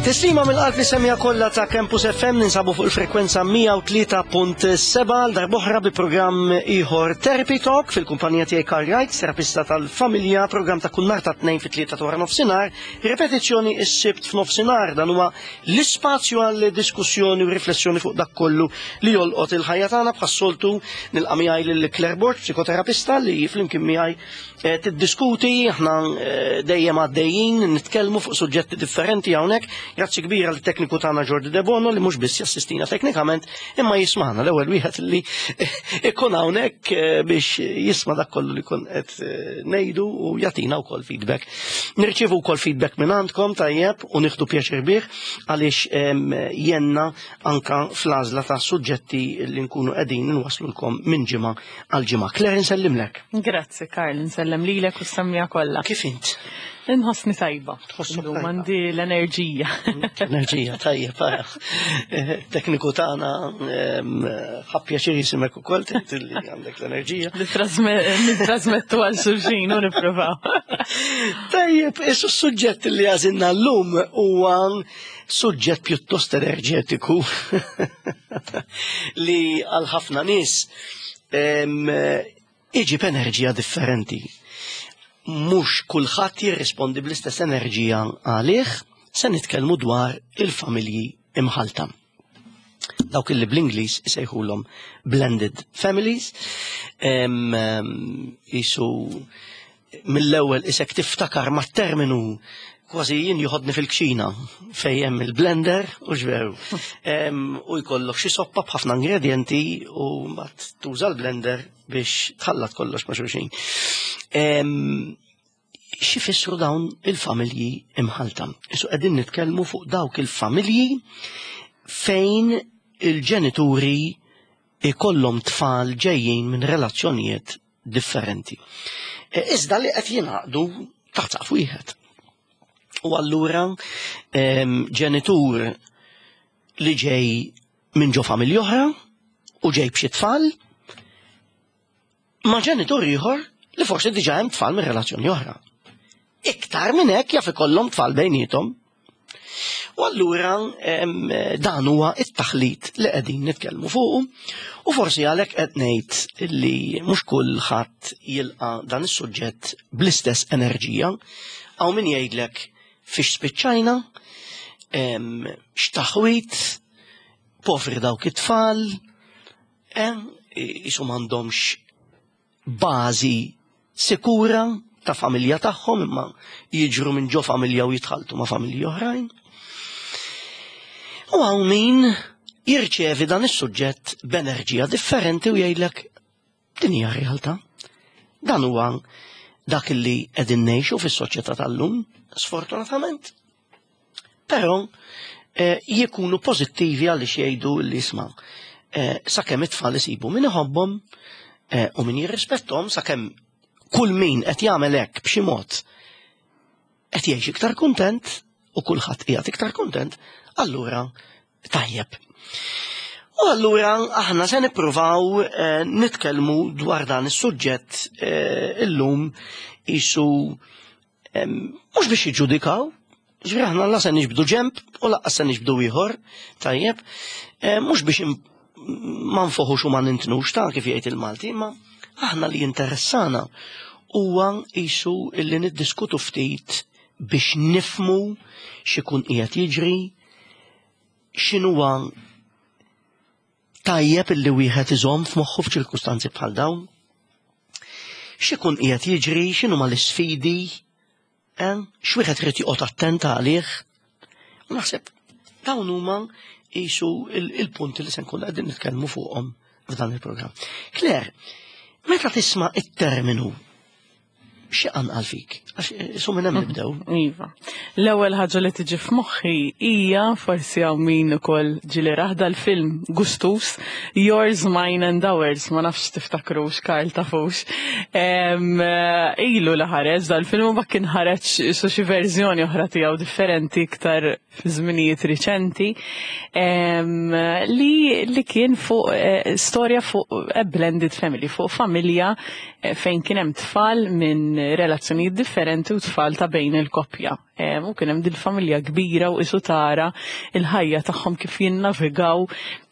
Tislima mill-qalb li semja kollha ta' Campus FM ninsabu fuq il-frekwenza 103.7 għal darboħra bi programm ieħor Therapy Talk fil-kumpanija tiegħi Karl Wright, terapista tal-familja, programm ta' kull nhar ta' tnejn fit-tlieta ta' wara nofsinhar, ripetizzjoni s-sibt f'nofsinhar dan huwa l-ispazju għal diskussjoni u riflessjoni fuq dak kollu li jolqot il-ħajja tagħna bħas-soltu nilqa' miegħi lil Claire Borg, psikoterapista li flimkien miegħi Eh, tiddiskuti, aħna eh, dejjem għaddejjin, nitkellmu fuq suġġetti differenti hawnhekk. Grazzi kbira l tekniku tagħna Jordi Debono li mhux biss jassistina teknikament, imma jismana l-ewwel wieħed li ikun hawnhekk eh, biex jisma' dak kollu li kun qed ngħidu u jagħtina wkoll feedback. Nirċievu wkoll feedback minn għandkom tajjeb u nieħdu pjaċir bih għaliex jenna anka fl-għażla ta' suġġetti li nkunu qegħdin nwaslulkom minn ġimgħa għal ġimgħa. Claire nsellimlek. Grazzi Karl, nsellem lilek u s-semmija kollha. Kif int? Inħossni tajba. Tħossok tajba. Għandi l-enerġija. Enerġija tajjeb, ara. Eh, tekniku tagħna ħa pjaċir jisimek ukoll tgħid li għandek l-enerġija. Nittrasmettu għal xulxin u nippruvaw. Tajjeb, issu s-suġġett li għażilna llum huwa suġġett pjuttost enerġetiku li għal ħafna nies iġib enerġija differenti. Mhux kulħadd jirrispondi bl-istess enerġija għalih, se nitkellmu dwar il-familji imħalta. Dawk illi bl-Ingliż isejħulhom blended families, jisu mill-ewwel isek tiftakar mat-terminu kważi jien joħodni fil-kċina fejn hemm il-blender u ġveru. U jkollok xi soppa b'ħafna ingredienti u mbagħad tuża l-blender biex tħallat kollox ma' xulxin. Xi fissru dawn il-familji imħalta? Isu qegħdin nitkellmu fuq dawk il-familji fejn il-ġenituri ikollhom tfal ġejjin minn relazzjonijiet differenti. E, iżda li qed jingħaqdu taħt saqf wieħed. U allura ġenitur li ġej minn ġo familja oħra u ġej b'xi tfal ma' ġenitur ieħor li forsi diġà hemm tfal minn relazzjoni oħra. Iktar minn hekk jaf ikollhom tfal bejniethom. U allura dan huwa it-taħlit li qegħdin nitkellmu fuqu u forsi għalhekk qed ngħid li mhux kulħadd jilqa' dan is-suġġett bl-istess enerġija. Hawn min jgħidlek fiex spiċċajna, x'taħwit, povri dawk it-tfal, jisu m'għandhomx bażi sikura ta' familja tagħhom imma jiġru minn ġo familja u jitħaltu ma' familji oħrajn. U hawn min jirċevi dan is-suġġett b'enerġija differenti u jgħidlek din hija realtà. Dan huwa dak li qegħdin ngħixu fis-soċjetà tal-lum, sfortunatament. Però eh, jikunu pożittivi għaliex jgħidu li isma' eh, sakemm it-tfal isibu min iħobbhom eh, u min jirrispettom sakemm kull min qed jagħmel hekk b'xi mod qed jgħix iktar kuntent u kulħadd qiegħed iktar kuntent, allura tajjeb. U allura aħna se nippruvaw eh, nitkellmu dwar dan is-suġġett eh, illum isu Mhux biex jiġġudikaw, ġifieri aħna la se niġbdu ġemp u laqqas se niġbdu ieħor, tajjeb, mhux biex ma nfoħux u ma nintnux ta' kif jgħid il-Malti, imma aħna li jinteressana huwa qisu illi niddiskutu ftit biex nifmu x'ikun qiegħed jiġri, x'inhuwa tajjeb illi wieħed iżomm f'moħħu f'ċirkustanzi bħal dawn. X'ikun qiegħed jiġri, x'inhuma l-isfidi, eh? x'wieħed irid joqgħod attent għalih. U naħseb dawn huma qisu il-punti li se nkun qegħdin nitkellmu fuqhom f'dan il-programm. Claire, meta tisma' it-terminu xi qanqal fik? Għax eh, su minn hemm nibdew. Iva. L-ewwel ħaġa li tiġi f'moħħi hija forsi hawn min ukoll ġieli raħda l-film Gustus, Yours, Mine and Ours, ma nafx tiftakrux Karl tafux. Eh, ilu li ħareġ dal-film u ma kien ħareġ su xi verżjoni oħra tiegħu differenti iktar fi żminijiet riċenti li, li kien fuq eh, storja fuq a blended family, fuq familja eh, fejn kien hemm tfal minn minn relazzjonijiet differenti u tfal ta' bejn il-koppja. U kien hemm dil-familja kbira u isu tara il-ħajja tagħhom kif jinnavigaw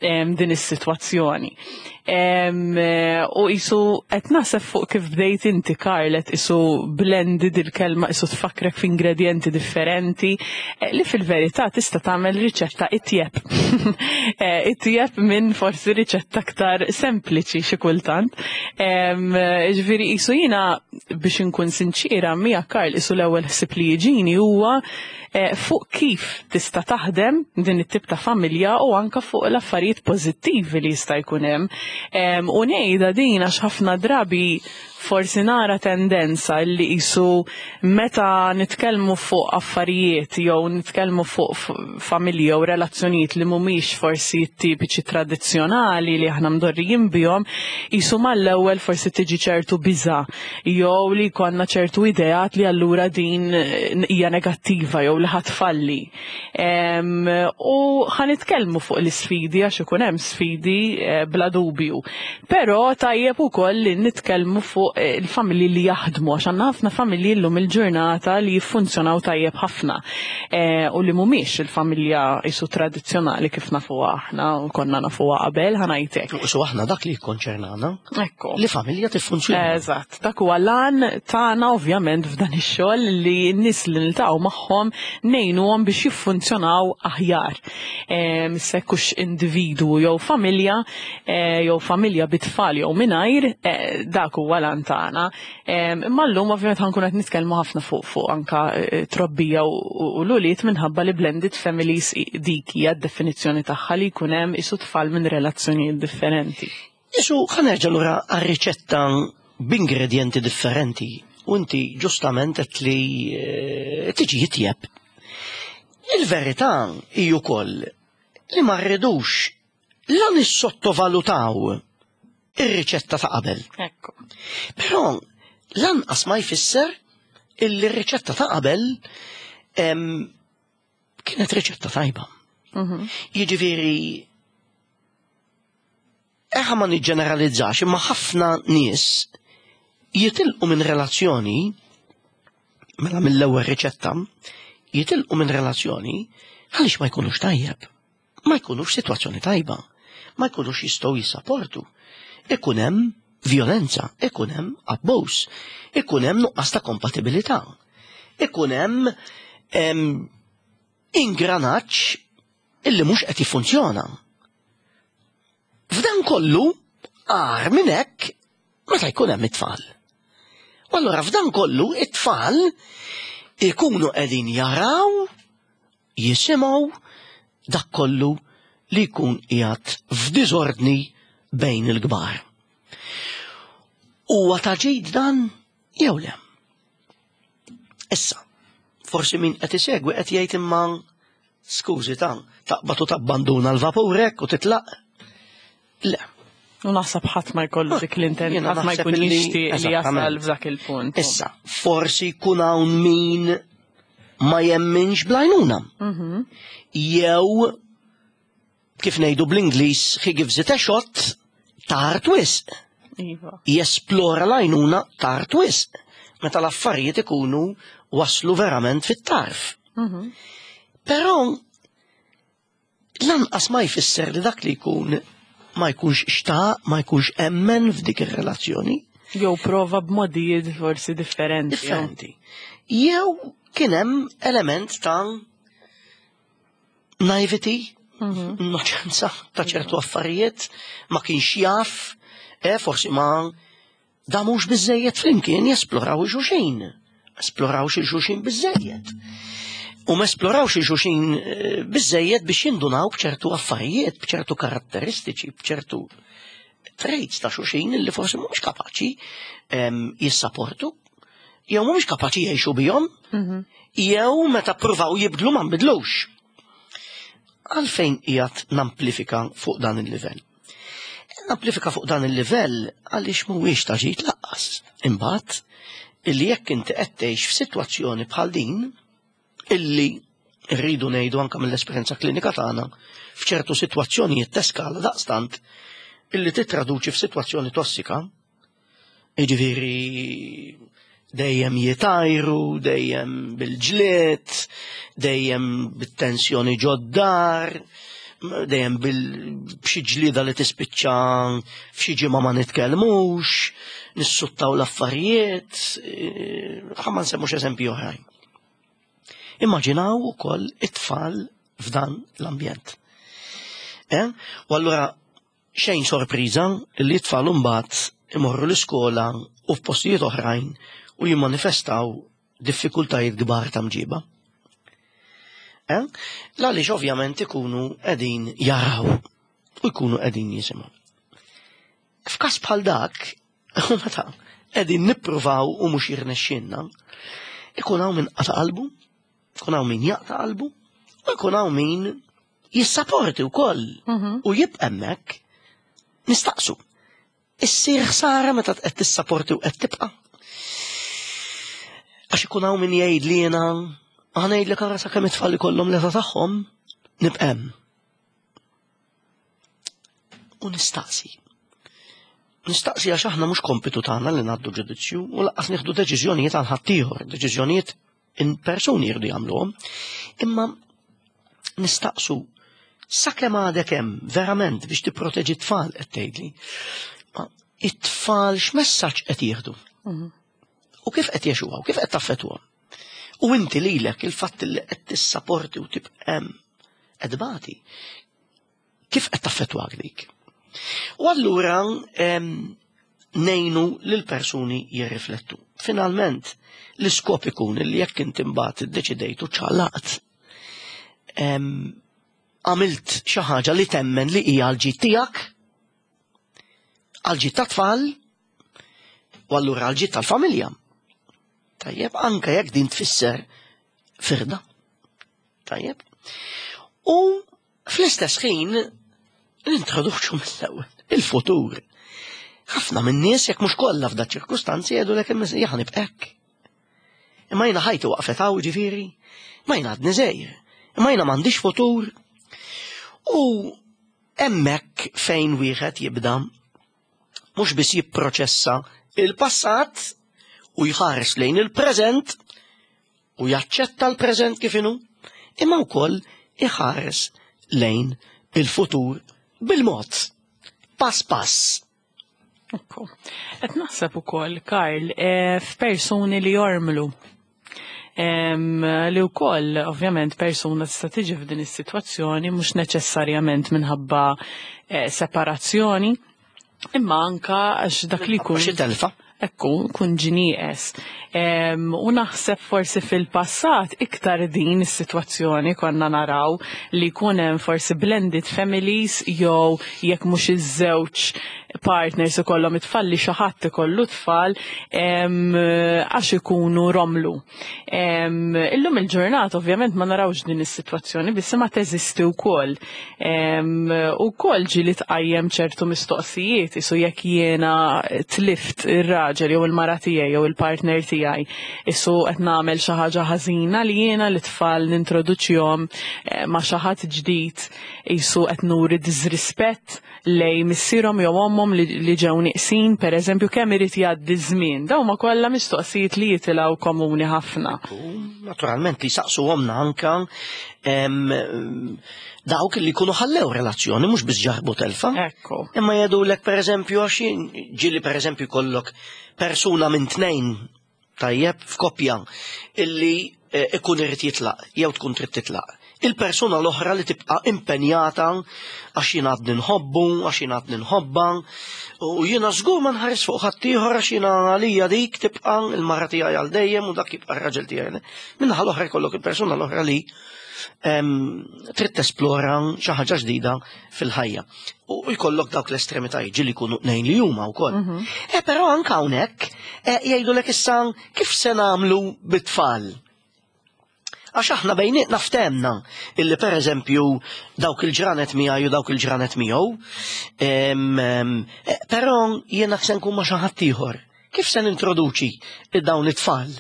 din is-sitwazzjoni. U isu qed naħseb fuq kif bdejt inti Karl qed isu blended il-kelma isu tfakkrek f'ingredjenti differenti li fil-verità tista' tagħmel riċetta itjeb. Itjeb minn forsi riċetta aktar sempliċi xi kultant. Ġifieri isu jiena biex inkun sinċiera miegħek Karl isu l-ewwel ħsieb li jiġini huwa fuq kif tista' taħdem din it-tip ta' familja u anka fuq l-affarijiet pożittivi li jista' jkun hemm. U ngħidha din għax ħafna drabi forsi nara tendenza li qisu meta nitkellmu fuq affarijiet jew nitkellmu fuq familja u relazzjonijiet li mhumiex forsi tipiċi tradizzjonali li aħna mdorrijin bihom, qisu mal-ewwel forsi tiġi ċertu biża' jew li jkollna ċertu ideat li allura din hija negattiva jew li ħa tfalli. U ħa nitkellmu fuq l-isfidi għax ikun hemm sfidi bla dubju. Però tajjeb ukoll li nitkellmu fuq il-familji li jaħdmu għax għandna ħafna familji llum il-ġurnata li jiffunzjonaw tajjeb ħafna u li mhumiex il-familja isu tradizzjonali kif nafuha aħna u konna nafuha qabel ħa ngħidlek. U aħna dak li jikkonċernana. Ekku. Li familja tiffunzjona. Eżatt, dak huwa l-għan tagħna ovvjament f'dan ix-xogħol li n-nies li niltaqgħu magħhom ngħinuhom biex jiffunzjonaw aħjar. Sekkux individwu jew familja, jew familja bit-tfal jew mingħajr, dak huwa l-għan tagħna. Imma llum ovvjament ħa nkunu qed nitkellmu ħafna fuq anka trobbija u l-ulied minħabba li blended families dik hija d-definizzjoni tagħha li jkun hemm isu tfal minn relazzjonijiet differenti. Isu ħa nerġa' lura għar-riċetta b'ingredjenti differenti u inti ġustament qed li tiġi jitjeb. Il-verità hi wkoll li ma rridux la nissottovalutaw ir-riċetta ta' qabel. Ekku. Però lanqas ma jfisser illi r-riċetta ta' qabel kienet riċetta tajba. Jiġifieri eħa ma niġġeneralizzax, imma ħafna nies jitilqu minn relazzjoni, mela mill-ewwel riċetta, jitilqu minn relazzjoni għaliex ma jkunux tajjeb, ma jkunux sitwazzjoni tajba, ma jkunux jistgħu jissaportu. Ikun hemm violenza, ikun hemm abbuż, ikun hemm nuqqas ta' kompatibilità, ikun hemm ingranaġġ illi mhux qed jiffunzjona. F'dan kollu, agħar minn hekk meta jkun hemm it-tfal. U allura f'dan kollu it-tfal ikunu qegħdin jaraw, jisimgħu dak kollu li jkun qiegħed f'diżordni bejn il-kbar. Huwa ta' ġid dan jew le? Issa, forsi min qed isegwi qed jgħid imma skużi ta' taqbad u tabbanduna l-vapur hekk u titlaq. Le. U naħseb ħadd ma jkollu dik l-intent, Jiena ħadd ma naħseb jkun illi jixtieq li jasal Eżattament. f'dak il-punt. Issa, forsi jkun hawn min ma jemminx bl-għajnuna. Jew, kif ngħidu bl-Ingliż, he gives it a shot, tard wisq. Jesplora l-għajnuna tard wisq. Meta l-affarijiet ikunu waslu verament fit-tarf. Però lanqas ma jfisser li dak li jkun ma jkunx xtaq, ma jkunx emmen f'dik ir-relazzjoni. Jew prova b'modijiet forsi differenti. Differenti. Jew kien hemm element ta' naivety, innoċenza ta' ċertu affarijiet, ma kienx jaf, forsi ma damux biżejjed flimkien jesploraw xulxin. Esploraw xi xulxin biżejjed. U ma esplorawx xulxin biżejjed biex jindunaw b'ċertu affarijiet, b'ċertu karatteristiċi, b'ċertu traits ta' xulxin li forsi mhumiex kapaċi jissaportu, jew mhumiex kapaċi jgħixu bihom, jew meta ppruvaw jibdlu ma nbidlux. Għalfejn qiegħed namplifika fuq dan il-livell? Namplifika fuq dan il-livell għaliex mhuwiex ta' ġid laqqas. Imbagħad illi jekk inti qed tgħix f'sitwazzjoni bħal din, illi rridu ngħidu anke mill-esperjenza klinika tagħna, f'ċertu sitwazzjonijiet teskala daqstant illi titraduċi f'sitwazzjoni tossika, jiġifieri Dejjem jitajru, dejjem bil-ġlied, dejjem bit-tensjoni ġod-dar, dejjem b'xi ġlieda li tispiċċa f'xi ġimgħa ma nitkellmux, nissuttaw l-affarijiet, eh, ħa ma nsemmux eżempji oħrajn. Immaġinaw ukoll it-tfal f'dan l-ambjent. Eh? U allura xejn sorpriża li t-tfal imbagħad imorru l-iskola u f'postijiet oħrajn u jimmanifestaw diffikultajiet kbar ta' mġiba. Eh? L-għaliex ovvjament ikunu qegħdin jaraw u jkunu qegħdin jisimgħu. F'każ bħal dak, meta qegħdin nippruvaw u mhux jirnexxinna, ikun hawn min qata' qalbu, ikun hawn min jaqta' qalbu, u jkun hawn min jissaporti wkoll mhm. u jibqa' hemmhekk nistaqsu. Issir ħsara meta qed tissaporti u qed tibqa'. Għax ikun hawn min jgħid li jiena ħa ngħidlek ara sakemm it-tfal ikollhom l-età tagħhom nibqa' hemm. U nistaqsi. Nistaqsi għax aħna mhux kompitu tagħna li ngħaddu ġudizzju u lanqas nieħdu deċiżjonijiet għal ħaddieħor, deċiżjonijiet in persuni jirdu jagħmluhom. Imma nistaqsu sakemm għadek hemm verament biex tipproteġi t-tfal qed tgħidli. It-tfal x'messaġġ qed jieħdu? Mhm. U kif qed jgħixuha u kif qed taffettwhom? U inti lilek il-fatt li qed tissaporti u tibqa' hemm qed tbati. Kif qed taffettwak dik? U allura nejnu lil persuni jirriflettu. Finalment, l-iskop ikun li jekk inti mbagħad iddeċidejt u ċċaqlaqt, għamilt xi ħaġa li temmen li hija għall-ġid tiegħek, għall-ġid tat-tfal, u allura għall-ġid tal-familja. Tajjeb, anke jekk din tfisser firda. Tajjeb. U fl-istess ħin nintroduċu mill-ewwel il-futur. Ħafna minn nies jekk mhux kollha f'da ċirkustanzi jgħidu lek jaħan hekk. Imma jiena ħajti waqfet hawn ġifieri, ma jiena għadni żgħir, imma jiena m'għandix futur. U hemmhekk fejn wieħed jibda mhux biss jipproċessa il-passat u jħares lejn il-preżent u jaċċetta l-preżent kif inhu, imma wkoll iħares lejn il-futur bil-mod, pass pass. Ekku. Qed naħseb ukoll, Karl, eh, f'persuni li jormlu. Li wkoll ovvjament persuna tista' tiġi f'din is-sitwazzjoni mhux neċessarjament minħabba eh, separazzjoni, imma anka għax dak li jkun. Xi telfa. Ekku, kun ġinieqes. U naħseb forsi fil-passat iktar din is-sitwazzjoni konna naraw li jkun hemm forsi blended families jew jekk mhux iż-żewġ partners ikollhom it-tfal li xi ħadd ikollu tfal għax ikunu romlu. Illum il-ġurnata ovvjament ma narawx din is-sitwazzjoni biss ma teżisti wkoll. Ukoll ġieli tqajjem ċertu mistoqsijiet isu jekk jiena tlift ir-raġel jew il-mara tiegħi jew il-partner tiegħi isu qed nagħmel xi ħaġa ħażina li jiena l-tfal nintroduċihom eh, ma' xi ħadd ġdid isu qed nuri diżrispett lej missierhom jew ommhom li ġew nieqsin, pereżempju, kemm irid jgħaddi żmien. Dawn huma kollha mistoqsijiet li jitilgħu komuni ħafna. Naturalment li saqsuhomna anka dawk li jkunu ħallew relazzjoni mhux biss ġarbu telfa. Ekku. Imma jgħidulek pereżempju għax ġieli pereżempju jkollok persuna minn tnejn tajjeb, f'koppja illi eh, ikun irid jitlaq jew tkun trid titlaq. Il-persuna l-oħra li tibqa' impenjata għax jien għadni nħobbu, għax jien għadni nħobba, u jiena żgur ma nħares fuq ħaddieħor għax jiena għalija dik tibqa' il-mara tiegħi għal dejjem u dak jibqa' r-raġel tiegħi. Minnaħa l-oħra jkollok il-persuna l-oħra li trid tesplora xi ħaġa ġdida fil-ħajja. U jkollok dawk l-estremitajiet ġieli jkunu tnejn li huma wkoll. Mhm. E però anke hawnhekk e, jgħidulek issa kif se nagħmlu bit-tfal. Għax aħna bejnietna ftemna illi per eżempju dawk il-ġranet miegħi u dawk il-ġranet miegħu, e, però jiena se nkun ma' xi ħadd ieħor. Kif se nintroduċi dawn it-tfal?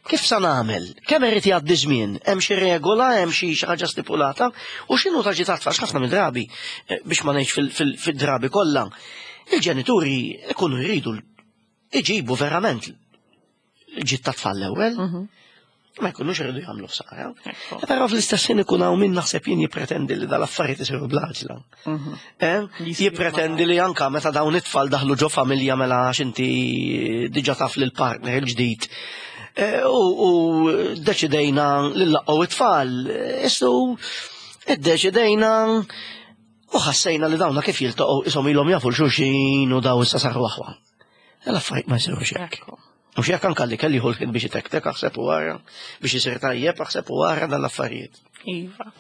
Kif se nagħmel? Kemm irid jgħaddi żmien? Hemm xi regola, hemm xi ħaġa stipulata? U x'inhu ta' ġitat tfal ħafna mid-drabi eh, biex ma ngħidx fid-drabi kollha. Il-ġenituri ikunu jridu iġibu verament il-ġid tat-tfal l-ewwel. Ma jkunux iridu jagħmlu ħsara. Però fl-istess ħin ikun hawn min naħseb jien jippretendi li dal-affarijiet isiru bl-għaġla. Eh? Jippretendi li anka meta dawn it-tfal daħlu ġo familja mela għax inti diġà taf lil partner il-ġdid. Eh, u deċidejna li laqgħu it-tfal. Issu iddeċidejna u ħassejna li dawna kif jiltaqgħu ishom ilhom jafu l-xulxin u daw issa saru aħwa. L-affarijiet ma jsirux hekk. Mhux jekk anke li kelli jieħu biex itektek aħseb u wara, biex isir tajjeb aħseb u wara dan l-affarijiet. Iva.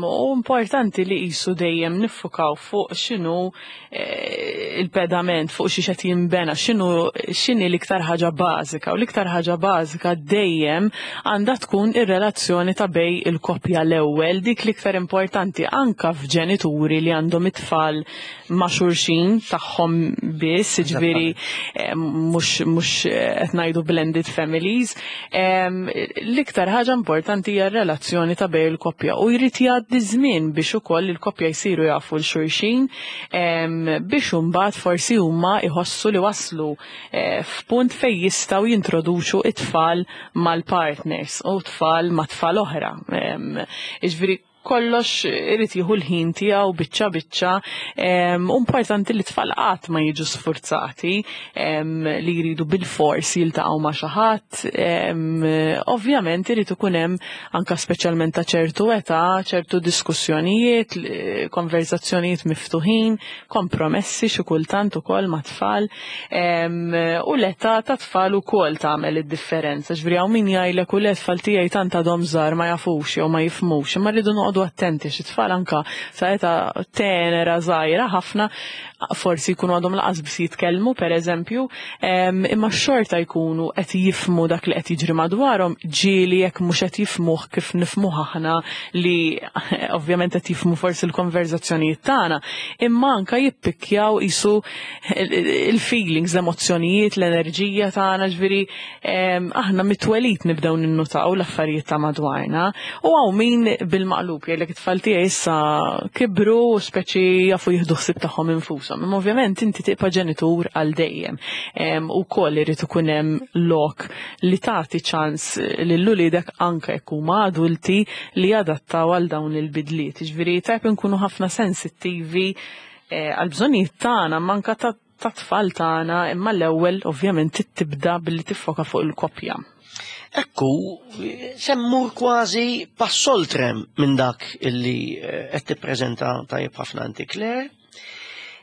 U importanti li qisu dejjem niffukaw fuq x'inhu eh, il-pedament, fuq xi qed jinbena, x'inhu x'inhi l-iktar ħaġa bażika. U l-iktar ħaġa bażika dejjem għandha tkun ir-relazzjoni ta' bej il-koppja l-ewwel, dik l-iktar importanti anka f'ġenituri li għandhom it-tfal ma' xulxin tagħhom biss, jiġifieri eh, mhux mhux eh, qed ngħidu blended families. L-iktar ħaġa importanti hija r-relazzjoni ta' bejn il-koppja u jrid jgħaddi żmien biex ukoll il-koppja jsiru jafu l xulxin biex imbagħad forsi huma jħossu li waslu eh, f'punt fejn jistgħu jintroduċu it-tfal mal-partners u tfal ma' tfal oħra. Jiġifieri kollox irid jieħu l-ħin tiegħu biċċa biċċa. Importanti li tfal qatt ma jiġu sfurzati li jridu bil-fors jiltaqgħu ma' xi ħadd. Ovvjament irid ikun hemm anke speċjalment ta' ċertu età, ċertu diskussjonijiet, konverzazzjonijiet miftuħin, kompromessi xi kultant ukoll ma' tfal u l-età ta' tfal ukoll tagħmel id-differenza. Ġifieri hawn min jgħidlek u le tfal tiegħi tant għadhom żgħar ma jafux jew ma jifhmux, imma rridu noqogħdu attenti xi tfal anka sa età tenera żgħira ħafna forsi jkunu għadhom laqas biss jitkellmu pereżempju, imma xorta jkunu qed jifhmu dak li qed jiġri madwarhom ġieli jekk mhux qed jifhmuh kif nifhmuh aħna li ovvjament qed jifhmu forsi l-konverzazzjonijiet tagħna, imma anka jippikkjaw isu il-feelings, l-emozzjonijiet, l-enerġija tagħna, ġifieri aħna mit-twelid nibdew ninnutaw l-affarijiet ta' madwarna. U hawn min bil-maqlub jgħidlek it-tfal tiegħi issa kibru u speċi jafu jieħdu ħsieb tagħhom infushom. Imma ovvjament inti tibqa' ġenitur għal dejjem. Ukoll irid ikun hemm lok li tagħti ċans lil uliedek anke jekk huma adulti li jadattaw għal dawn il-bidliet. Jiġifieri tajjeb inkunu ħafna sensittivi eh, għal bżonnijiet tagħna manka ta' tfal tagħna imma l-ewwel ovvjament tibda billi tiffoka fuq il-koppja. Ekku, semmur kważi passoltrem minn dak illi eh, qed tippreżenta tajjeb ħafna inti Claire.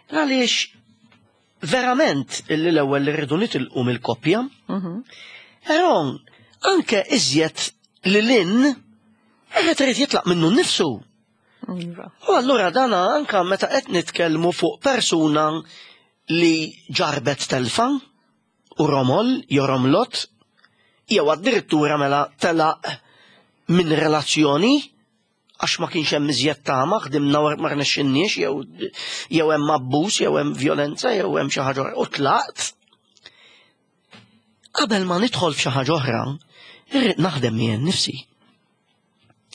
Għaliex verament illi l-ewwel li rridu nitilqu mill-koppja. Però anke iżjed li lin qed irid jitlaq minnu nnifsu. Iva. U allura dana anka meta qed nitkellmu fuq persuna li ġarbet telfa u romol jew romlot jew addirittura mela telaq minn relazzjoni għax ma kienx hemm iżjed tama, ħdimna u ma rnexxinniex jew jew hemm abbuż, jew hemm vjolenza, jew hemm xi ħaġa u tlaqt. Qabel ma nidħol f'xi ħaġa oħra, irrid naħdem jien nifsi.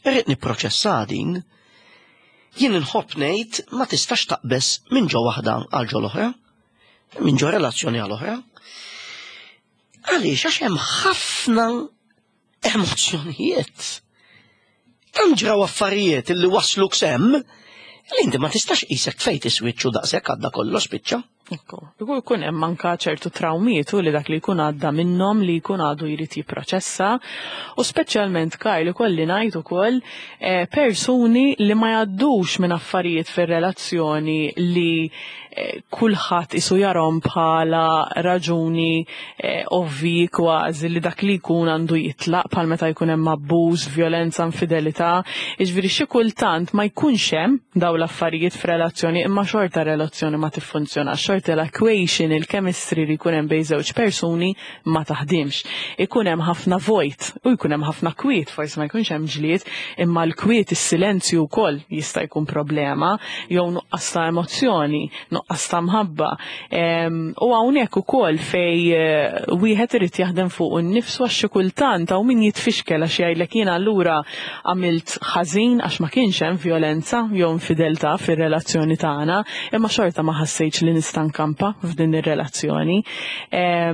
Irrid nipproċessa din. Jien inħobb ngħid ma tistax taqbeż minn ġo waħda għal ġo l-oħra, minn ġo relazzjoni għal oħra. Għaliex għax hemm ħafna emozzjonijiet. Tant ġraw affarijiet li wasluk semm li inti ma tistax qisek fejt iswiċċ u daqshekk għadda kollox spiċċa. Ekku, jkun hemm anka ċertu trawmiet u li dak li jkun għadda minnhom li jkun għadu jrid jipproċessa u speċjalment Karl ikolli ngħid ukoll eh, persuni li ma jgħaddux minn affarijiet fir-relazzjoni li eh, kulħadd isu jarhom bħala raġuni eh, ovvi kważi li dak li jkun għandu jitlaq bħal meta jkun hemm abbuż, vjolenza, infidelità. Jiġifieri xi kultant ma jkunx hemm dawn l-affarijiet f'relazzjoni imma xorta relazzjoni ma tiffunzjonax, xorta l-equation, il-chemistry li jkun hemm bejn żewġ persuni ma taħdimx. Ikun hemm ħafna vojt u jkun hemm ħafna kwiet, forsi ma jkunx hemm ġlied, imma l-kwiet, is-silenzju wkoll jista' jkun problema jew nuqqas ta' emozzjoni. nuqqas ta' mħabba. U hawnhekk ukoll fej eh, wieħed irid jaħdem fuq innifsu għax xi kultant hawn min jitfixkel għax jgħidlek jiena allura għamilt ħażin għax ma kienx hemm vjolenza jew infideltà fir-relazzjoni tagħna, imma xorta ma ħassejtx li nista' nkampa f'din ir-relazzjoni. Eh,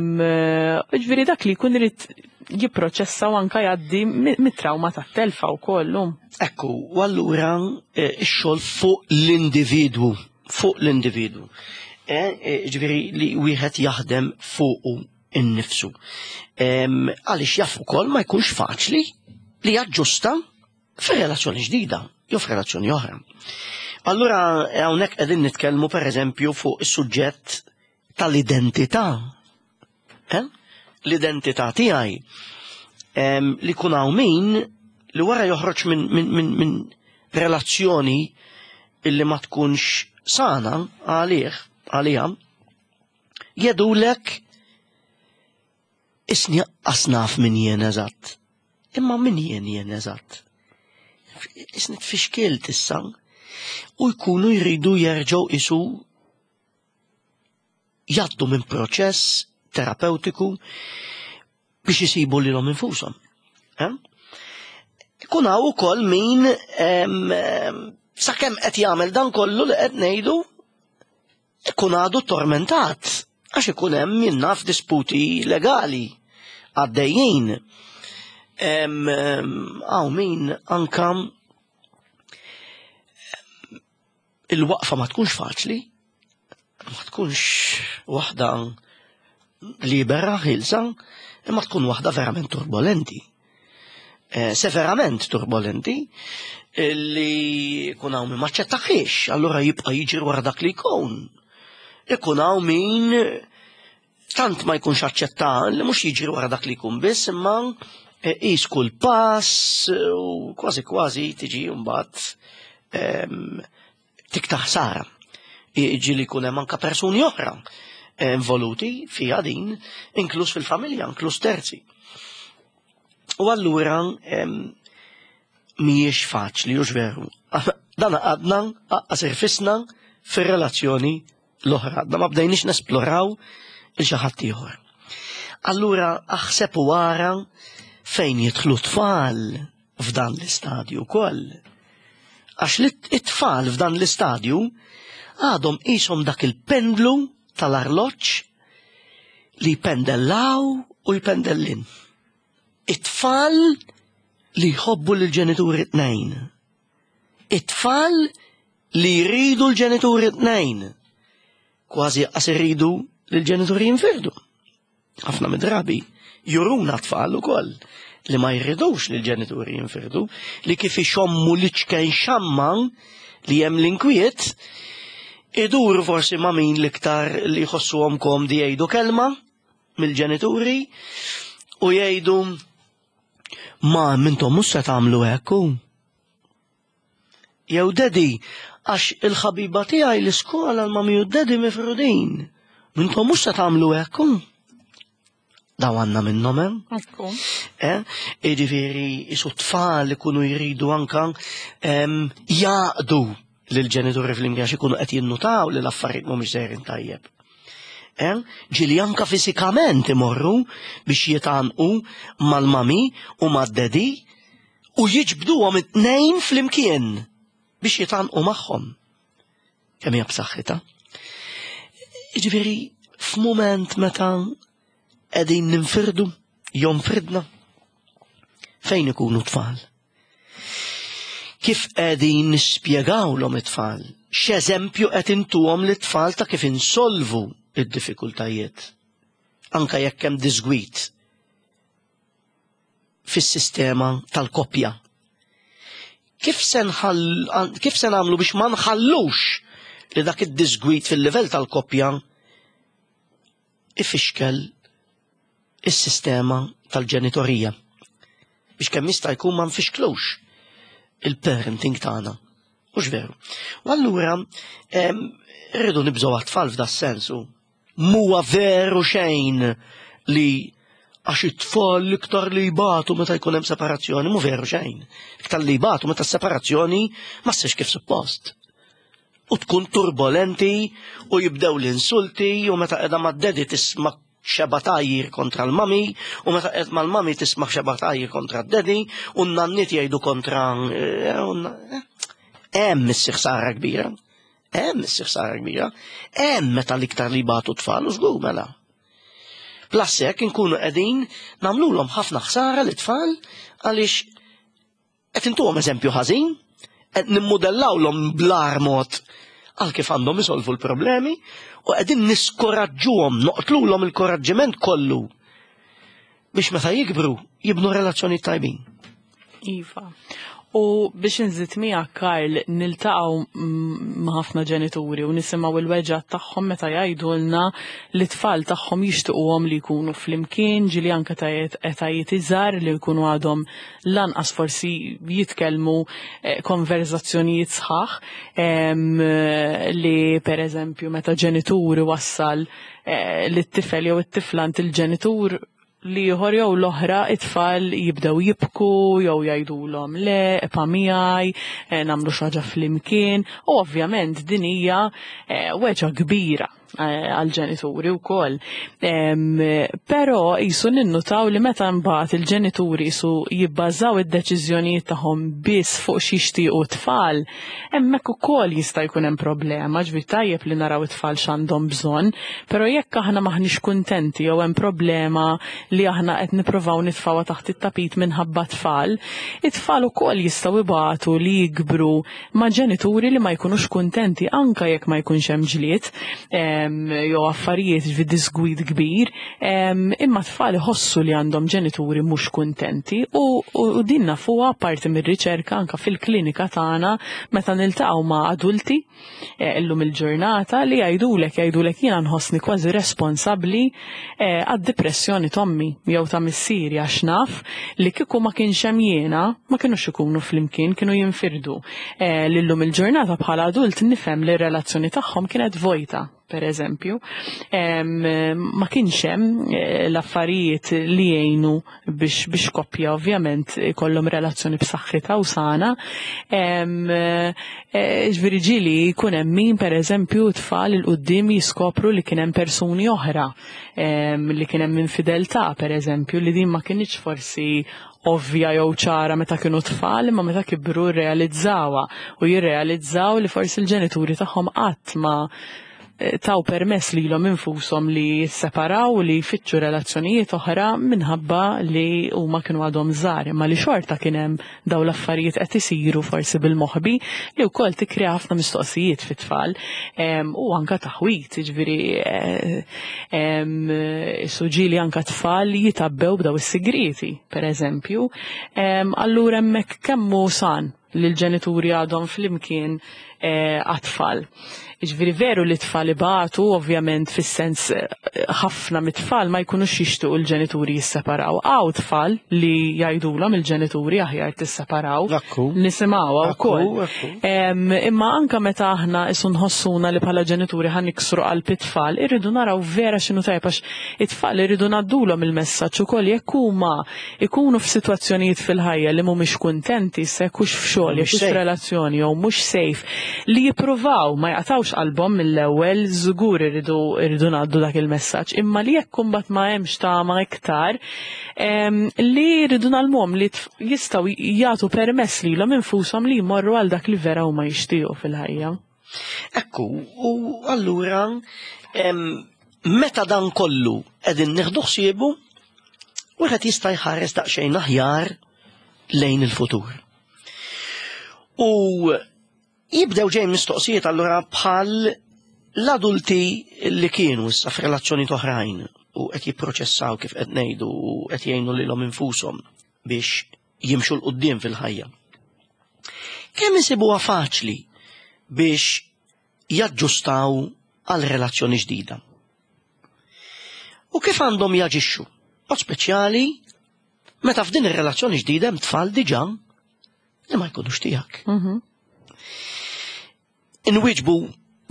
ġifieri dak li jkun irid jipproċessa u anka jgħaddi mit-trauma tat-telfa wkoll. Ekku, u allura eh, ix-xogħol fuq l-individwu, fuq l-individwu. Eh, eh, ġifieri li wieħed jaħdem fuqu innifsu. Għaliex jaf ukoll ma jkunx faċli li jaġġusta fir-relazzjoni ġdida jew f'relazzjoni oħra. Allura hawnhekk qegħdin nitkellmu pereżempju fuq is-suġġett tal-identità. Eh? L-identità tiegħi li kun hawn min li wara joħroġ minn min, min, min relazzjoni illi ma tkunx sana għalih, għaliha, jedulek isni asnaf min jien eżatt. Imma min jien jien eżatt. Isni tfixkilt issa u jkunu jridu jerġgħu isu jgħaddu minn proċess terapeutiku biex isibu lilhom infushom. Eh? Ikun hawn ukoll min sakemm qed jagħmel dan kollu li qed ngħidu ikun għadu tormentat għax ikun hemm min naf disputi legali għaddejjin. Hawn min anka il-waqfa ma tkunx faċli, ma tkunx waħda libera, ħilsa, imma tkun waħda verament turbolenti. Eh, severament turbolenti, li kun hawn min maċċettaħiex, allura jibqa' jiġri wara dak li jkun. Ikun hawn min tant ma jkunx aċċetta li mhux jiġri wara dak li jkun biss, imma eh, qis kull pass u kważi kważi tiġi mbagħad ehm, tikta ħsara. Jiġi li jkun hemm anke persuni oħra eh, involuti fiha din, inkluż fil-familja, inkluż terzi. U allura ehm, mhijiex faċli, hux veru. Dan għadna aqqas irfisna fir-relazzjoni l-oħra, għadna ma bdejniex nesploraw il xi ħadd ieħor. Allura aħseb u ara fejn jidħlu tfal f'dan l-istadju wkoll. Għax li it-tfal f'dan l-istadju għadhom qishom dak il-pendlu tal-arloġġ li jpendellaw u jpendellin. It-tfal li jħobbu lill-ġenituri tnejn. It-tfal li jridu l-ġenituri tnejn. Kważi qas iridu li l-ġenituri jinfirdu. Ħafna mid-drabi juruna tfal ukoll li ma jridux li l-ġenituri jinfirdu, li kif ixommu li ċken xamma li hemm l-inkwiet, iduru forsi ma' min l-iktar li jħossuhom komdi jgħidu kelma mill-ġenituri u jgħidu ma mintom mhux se tagħmlu hekk. Jew daddy, għax il-ħabiba tiegħi l-iskola l-mami u daddy mifrudin. Mintom mhux se tagħmlu hekk. Daw għandna minnhom hemm. Eh? Jiġifieri isu tfal ikunu jridu anka jaqdu lill-ġenituri fl-imkien għax ikunu qed jinnutaw li l-affarijiet mhumiex sejrin tajjeb. Eh? Ġili anka fiżikament imorru biex jitanqu mal-mami u mad-dedi u jiġbduhom it-tnejn flimkien biex jitanqu magħhom. Kemm hija b'saħħitha. Jiġifieri f'mument meta qegħdin ninfirdu, jonfridna, fejn ikunu tfal? Kif qegħdin nispjegawlhom it-tfal? X'eżempju qed intuhom lit-tfal ta' kif insolvu id-diffikultajiet? Anka jekk hemm disgwit fis-sistema tal-koppja. Kif se kif se nagħmlu biex ma nħallux li dak id-disgwit fil-livell tal-koppja ifixkel is-sistema tal-ġenitorija biex kemm jista' jkun ma nfixklux il-parenting tagħna. Mhux veru. U allura rridu nibżgħu għat-tfal f'da sensu. Mhuwa veru xejn li għax it-tfal l-iktar li jbatu meta jkun hemm separazzjoni, mhu veru xejn. Iktar li jbatu meta s-separazzjoni ma ssirx kif suppost. U tkun turbolenti u jibdew l-insulti u meta qiegħda mad-daddy tisma' xeba tgħajjir kontra l-mami u meta qed mal-mami tisma' xeba tgħajjir kontra d-daddy u n-nanniet jgħidu kontra eh, eh. hemm issir ħsara kbira. Hemm issir ħsara kbira. Hemm meta l-iktar li batu tfal u żgur mela. Plus hekk inkunu qegħdin nagħmlulhom ħafna ħsara lit-tfal għaliex Qed intuhom eżempju ħażin, qed nimmudellawlhom bl-agħar mod għal kif għandhom isolvu l-problemi u qegħdin niskoraġġuhom, noqtlulhom il-koraġġiment kollu biex meta jikbru jibnu relazzjoni tajbin. Iva. U biex nżid miegħek Karl niltaqgħu ma' ħafna ġenituri u nisimgħu il-weġgħat tagħhom meta jgħidulna li t-tfal tagħhom jixtiequhom li jkunu flimkien, ġieli anke ta' etajiet iżgħar li jkunu għadhom lanqas forsi jitkellmu eh, konverzazzjonijiet sħaħ li per eżempju meta ġenitur wassal eh, li t-tifel jew it-tifla il-ġenitur li ieħor jew l-oħra it-tfal jibdew jibku jew jgħidulhom le, epa miegħi, eh, nagħmlu xi ħaġa flimkien u ovvjament din hija weġgħa kbira Eh, għal-ġenituri wkoll. Però jisu ninnutaw li meta mbagħad il-ġenituri jisu jibbażaw id-deċiżjonijiet tagħhom biss fuq xi jixtiequ tfal, hemmhekk ukoll jista' jkun hemm problema, ġbir tajjeb li naraw it-tfal x'għandhom bżonn, però jekk aħna maħniex kuntenti jew hemm problema li aħna qed nippruvaw nitfgħuha taħt it-tapit minħabba tfal, it-tfal ukoll jistgħu ibatu li jikbru ma' ġenituri li ma jkunux kuntenti anka jekk ma jkunx hemm ġlied jew affarijiet fi disgwid kbir, imma tfal iħossu li għandhom ġenituri mhux kuntenti u, u din nafuha parti mir-riċerka anka fil-klinika tagħna meta niltaqgħu ma' adulti eh, illum il-ġurnata li jgħidulek jgħidulek jiena nħossni kważi responsabbli eh, għad-depressjoni tommi jew ta' missieri għax naf li kieku ma kienx hemm jiena ma kinux ikunu flimkien, kienu jinfirdu. Eh, Lillum il-ġurnata bħala adult nifhem li r-relazzjoni tagħhom kienet vojta per eżempju, ma kienx hemm eh, l-affarijiet li jgħinu biex biex koppja ovvjament ikollhom relazzjoni b'saħħitha u sana. Eh, ġifieri ġieli jkun hemm min pereżempju tfal il quddiem jiskopru li kien hemm persuni oħra li kien hemm infideltà pereżempju li din ma kinitx forsi ovvja jew ċara meta kienu tfal imma meta kibru rrealizzawha u jirrealizzaw li forsi l-ġenituri tagħhom qatt ma eh, taw permess lilhom infushom li jisseparaw u li jfittxu relazzjonijiet oħra minħabba li huma kienu għadhom żgħar imma li xorta kien hemm daw l-affarijiet qed isiru forsi bil-moħbi li wkoll tikkrea ħafna mistoqsijiet fit-tfal u anka taħwit, jiġifieri eh, suġili anka tfal jitabbew b'daw is-sigrieti, per eżempju. Allura hemmhekk kemm hu san li l-ġenituri għadhom flimkien eh, għat-tfal. Jiġifieri veru li t-tfal ibatu, ovvjament fis-sens eh, ħafna mit-tfal ma jkunux jixtiequ l-ġenituri jisseparaw. Hawn tfal li jgħidulhom il-ġenituri aħjar tisseparaw. Nisimgħuha wkoll. Imma anka meta aħna isu nħossuna li bħala ġenituri ħa niksru qalb it-tfal, irridu naraw vera x'inhu tajjeb għax it-tfal irridu ngħaddulhom il-messaġġ ukoll jekk huma ikunu f'sitwazzjonijiet fil-ħajja li mhumiex kuntenti, se jekk hux f'xogħol, jekk hux f'relazzjoni jew mhux safe, li jippruvaw ma jaqtgħux qalbhom mill-ewwel, żgur irridu irridu ngħaddu dak il-messaġġ, imma li jekk imbagħad ma hemmx tama iktar, li rridu ngħallmuhom li jistgħu jagħtu permess lilhom infushom li jmorru għal dak li vera huma jixtiequ fil-ħajja. Ekku, u allura meta dan kollu qegħdin nieħdu ħsiebu, wieħed jista' jħares daqsxejn aħjar lejn il-futur. U jibdew ġejn mistoqsijiet allura bħal l-adulti li kienu issa f'relazzjoni oħrajn u qed jipproċessaw kif qed ngħidu u qed jgħinu lilhom infushom biex jimxu 'l quddiem fil-ħajja. Kemm isibuha faċli biex jaġġustaw għal relazzjoni ġdida? U kif għandhom jaġixxu? Mod speċjali meta f'din ir-relazzjoni ġdida hemm tfal diġà li ma jkunux tiegħek. Mhm. Inwieġbu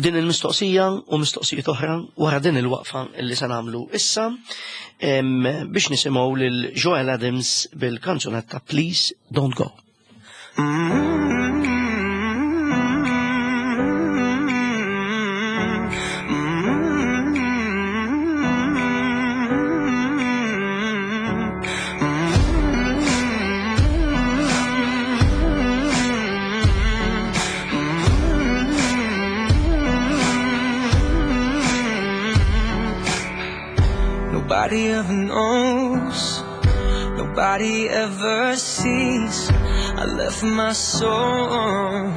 din il-mistoqsija u mistoqsijiet oħra wara din il-waqfa li se nagħmlu issa biex nisimgħu lil Joel Adams bil-kanzunetta Please Don't Go. Nobody ever knows, nobody ever sees. I left my soul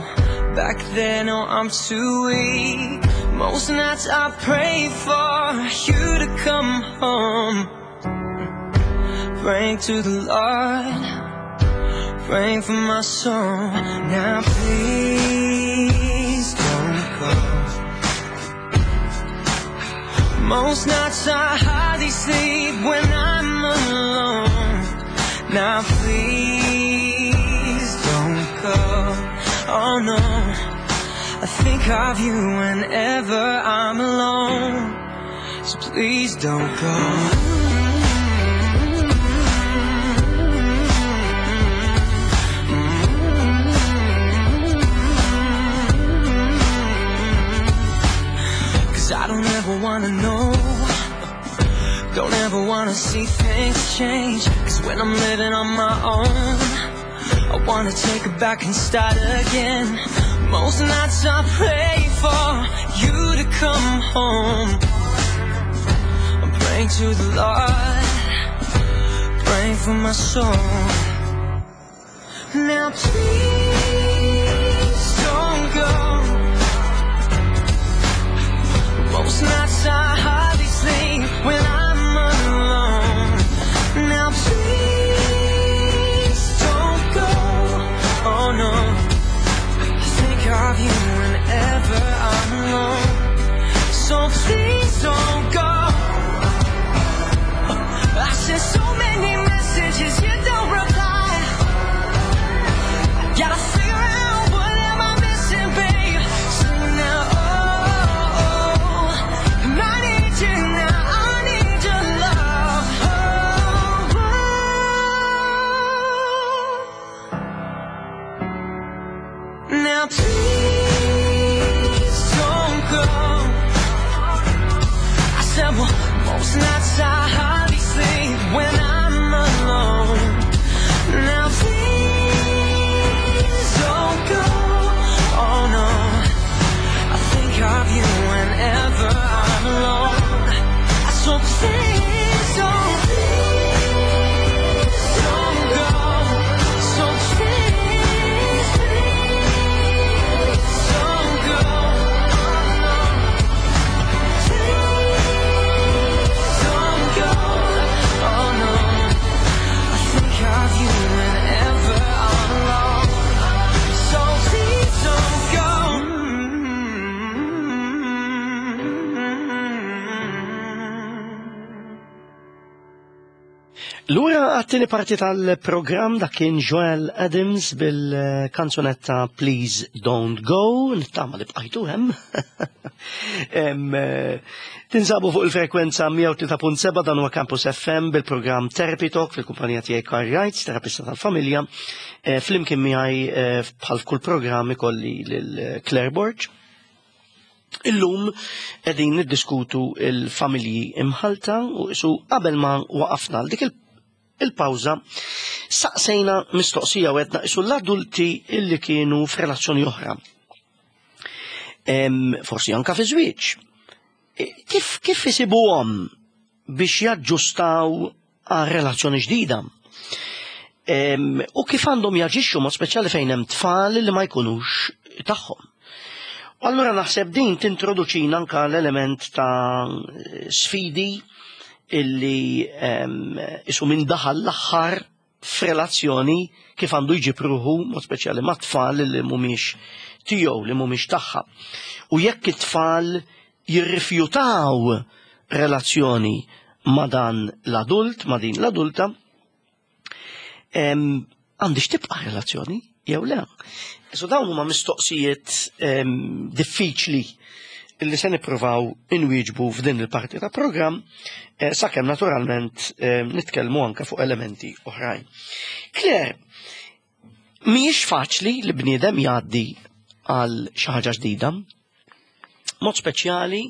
back then, oh, I'm too weak. Most nights I pray for you to come home. Praying to the Lord, praying for my soul. Now please don't go. Most nights I hardly sleep when I'm alone. Now please don't go. Oh no, I think of you whenever I'm alone. So please don't go. Cause I don't ever wanna know, don't ever wanna see things change. Cause when I'm living on my own, I wanna take it back and start again. Most nights I pray for you to come home. I'm praying to the Lord, praying for my soul. Now please don't go. Most nights I hardly sleep when I'm alone. Now please don't go. Oh no, I think of you whenever I'm alone. So please don't go. I sent so many messages, you don't reply. Gotta figure out what am I missing, babe. So now, oh, oh, I need you now. I need your love. Oh, oh. Now please don't go. I said, well, most nights I hardly sleep when I'm alone. Now please don't go. Oh no, I think of you whenever I'm alone. So please don't, please don't go. So please, please don't go. Please don't go. Oh no, I think of you whenever I'm alone. So please don't go. Lura għat-tieni parti tal-programm, dak kien Joel Adams bil-kanzunetta Please Don't Go, nittama li bqajtu hemm. Tinsabu fuq il-frekwenza 103.7, dan huwa Campus FM bil-programm Therapy Talk fil-kumpanija tiegħi Karl Wrights, terapista tal-familja. Flimkien miegħi bħal f'kull programm ikolli lil Claire Borg. Illum qegħdin niddiskutu il-familji imħalta u isu qabel ma waqafna għal dik il-pawża saqsejna mistoqsija u għedna isu l-adulti illi kienu f'relazzjoni oħra. Forsi anka fi żwieġ. Kif isibuhom biex jaġġustaw għal relazzjoni ġdida? U kif għandhom jaġixxu mod speċjali fejn hemm tfal li ma jkunux tagħhom? U allura naħseb din tintroduċina anka l-element ta' sfidi illi isu minn daħal l-aħħar f'relazzjoni kif għandu jġib ruħu mod speċjali ma' tfal li mhumiex tiegħu, li mhumiex tagħha. U jekk it-tfal jirrifjutaw relazzjoni ma' dan l-adult, ma' din l-adulta, għandix tibqa' relazzjoni jew le. So dawn huma mistoqsijiet diffiċli illi se nippruvaw inwieġbu f'din il-parti ta' programm, sakemm naturalment nitkellmu anke fuq elementi oħrajn. Claire, mhijiex faċli li bniedem jgħaddi għal xi ħaġa ġdida, mod speċjali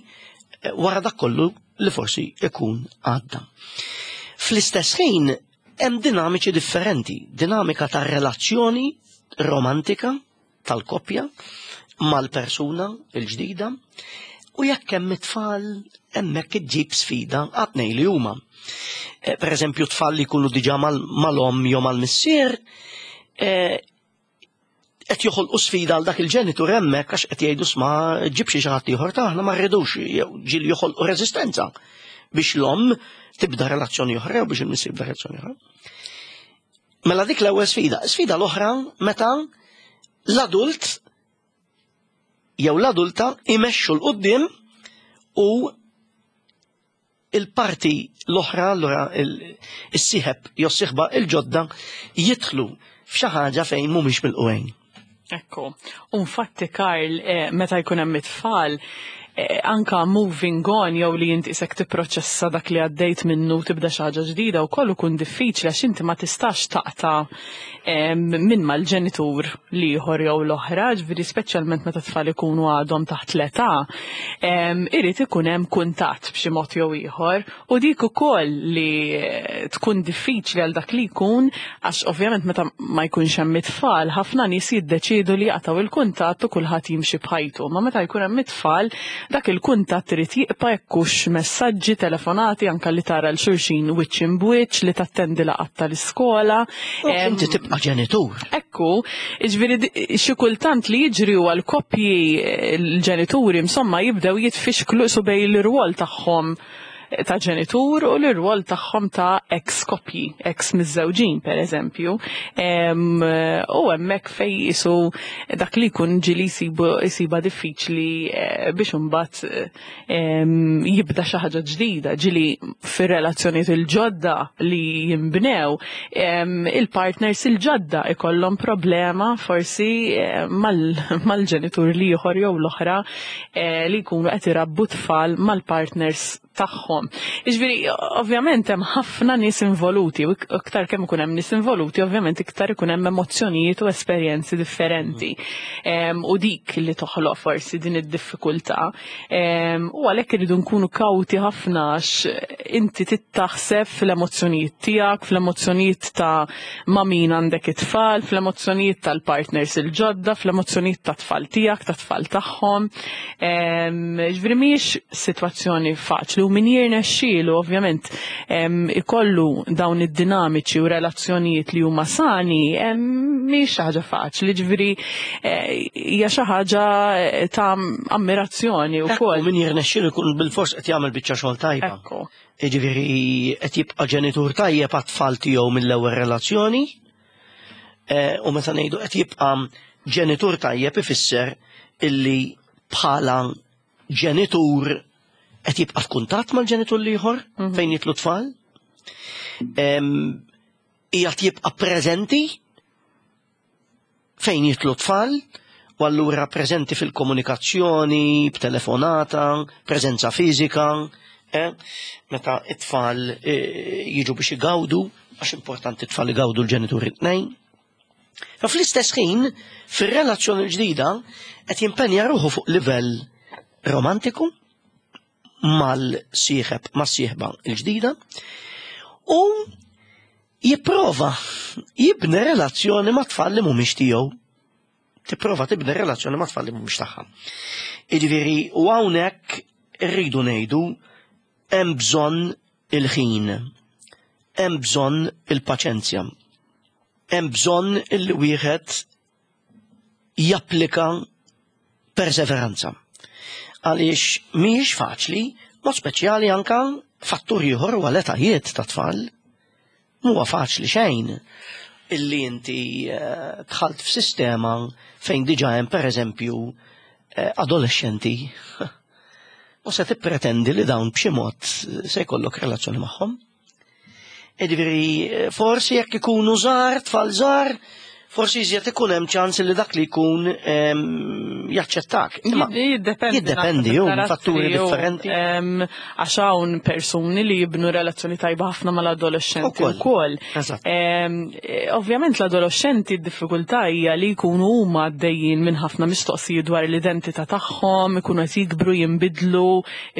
wara dak kollu li forsi ikun għadda. Fl-istess ħin hemm dinamiċi differenti, dinamika ta' relazzjoni romantika tal-koppja mal-persuna il-ġdida U jekk hemm it-tfal, hemmhekk iġġib sfida għat-tnejn li huma. Eh, per eżempju, tfal li jkunu diġà mal-omm jew mal-missier, eh, qed joħolqu sfida għal dak il-ġenitur hemmhekk għax qed jgħidu sma ġib xi ħadd ieħor taħna ma rridux jew ġieli joħolqu reżistenza biex l-omm tibda relazzjoni oħra jew biex il-missier jibda relazzjoni oħra. Mela dik l-ewwel sfida. Sfida l-oħra meta l-adult jew l-adulta imexxu 'l quddiem u il-parti l-oħra allura is-sieħeb jew s-sieħba il-ġodda jidħlu f'xi ħaġa fejn mhumiex milqugħin. Ekku. U infatti Karl, eh, meta jkun hemm it-tfal, eh, anka moving on jew li inti isek tipproċessa dak li għaddejt minnu tibda xi ħaġa ġdida wkoll ikun diffiċli għax inti ma tistax taqta' minn mal-ġenitur l-ieħor jew l-oħra, ġifieri speċjalment meta tfal ikunu għadhom taħt l-età, irid ikun hemm kuntatt b'xi mod jew ieħor u dik ukoll li tkun diffiċli għal dak li jkun għax ovvjament meta ma jkunx hemm it-tfal ħafna nies jiddeċiedu li jaqtgħu il-kuntatt u kulħadd jimxi b'ħajtu. Ma meta jkun hemm it-tfal dak il-kuntatt irid jibqa' jekk hux messaġġi, telefonati, anke li tara 'l xulxin wiċċ imb'wiċċ, li tattendi laqgħat tal-iskola. Inti tibqa' ġenitur. Ekku, jiġifieri xi kultant li jiġri huwa l-koppji l-ġenituri insomma jibdew jitfixklu qisu bejn l-irwol tagħhom ta' ġenitur u l-irwol tagħhom ta' ex koppji, ex miżżewġin per eżempju. U hemmhekk fejn qisu dak li jkun ġieli jsibha diffiċli eh, biex imbagħad jibda xi ħaġa ġdida, ġieli fir-relazzjonijiet il-ġodda li jinbnew, il-partners il-ġodda ikollhom problema forsi eh, mal-ġenitur l-ieħor jew l-oħra eh, li jkunu qed irabbu tfal mal-partners tagħhom. Jiġifieri, ovvjament hemm ħafna nies involuti, u iktar kemm ikun hemm nies involuti, ovvjament iktar ikun hemm emozzjonijiet u esperjenzi differenti. U dik li toħloq forsi din id-diffikultà. U għalhekk irridu nkunu kawti ħafna għax inti tittaħseb fl-emozzjonijiet tiegħek, fl-emozzjonijiet ta' ma' min għandek it-tfal, fl-emozzjonijiet tal-partners il-ġodda, fl-emozzjonijiet tat-tfal tiegħek, tat-tfal tagħhom. Ġifieri mhijiex sitwazzjoni faċli u min jirnexxielu ovvjament ikollu dawn id-dinamiċi u relazzjonijiet li huma sani mhijiex xi ħaġa faċli, ġifieri eh, hija xi ħaġa eh, ta' ammirazzjoni wkoll. Min jirnexxielu jkun bilfors qed jagħmel biċċa xogħol tajba. Jiġifieri qed jibqa' ġenitur tajjeb għat-tfal tiegħu mill-ewwel relazzjoni eh, u meta ngħidu qed jibqa' ġenitur tajjeb ifisser illi bħala ġenitur qed jibqa' f'kuntatt mal-ġenitur l-ieħor mhm. fejn jitlu tfal. Qiegħed jibqa' preżenti fejn jitlu tfal u allura preżenti fil-komunikazzjoni, b'telefonata, preżenza fiżika, eh? meta it-tfal eh, jiġu biex igawdu, għax importanti t-tfal igawdu l-ġenituri t-tnejn. Ma fl-istess ħin, fir-relazzjoni l-ġdida, qed jimpenja ruħu fuq livell romantiku mal-sieħeb, mas-sieħba l-ġdida u jipprova jibni relazzjoni ma' tfal li mhumiex tiegħu. Tipprova tibni relazzjoni ma' tfal li mhumiex tagħha. Jiġifieri u hawnhekk irridu ngħidu hemm bżonn il-ħin, hemm bżonn il-paċenzja, hemm bżonn il wieħed japplika perseveranza. Għaliex mhijiex faċli, mod speċjali anka fattur ieħor huwa l-etajiet ta' tfal. Mhuwa faċli xejn illi inti eh, dħalt f'sistema fejn diġà hemm pereżempju eh, adolescenti u se tippretendi li dawn b'xi mod se jkollok relazzjoni magħhom. Jiġifieri forsi jekk ikunu żgħar, tfal żgħar, forsi iżjed ikun hemm ċans li dak li jkun ehm, jaċċettak. Jiddependi. Jiddependi, hu fatturi differenti. Ehm, għax hawn persuni li jibnu relazzjoni tajba ħafna mal-adolescenti wkoll. Ehm, ovvjament l-adolescenti d-diffikultà hija li jkunu huma għaddejjin minn ħafna mistoqsijiet dwar l-identità tagħhom, ikunu qed jikbru, jinbidlu,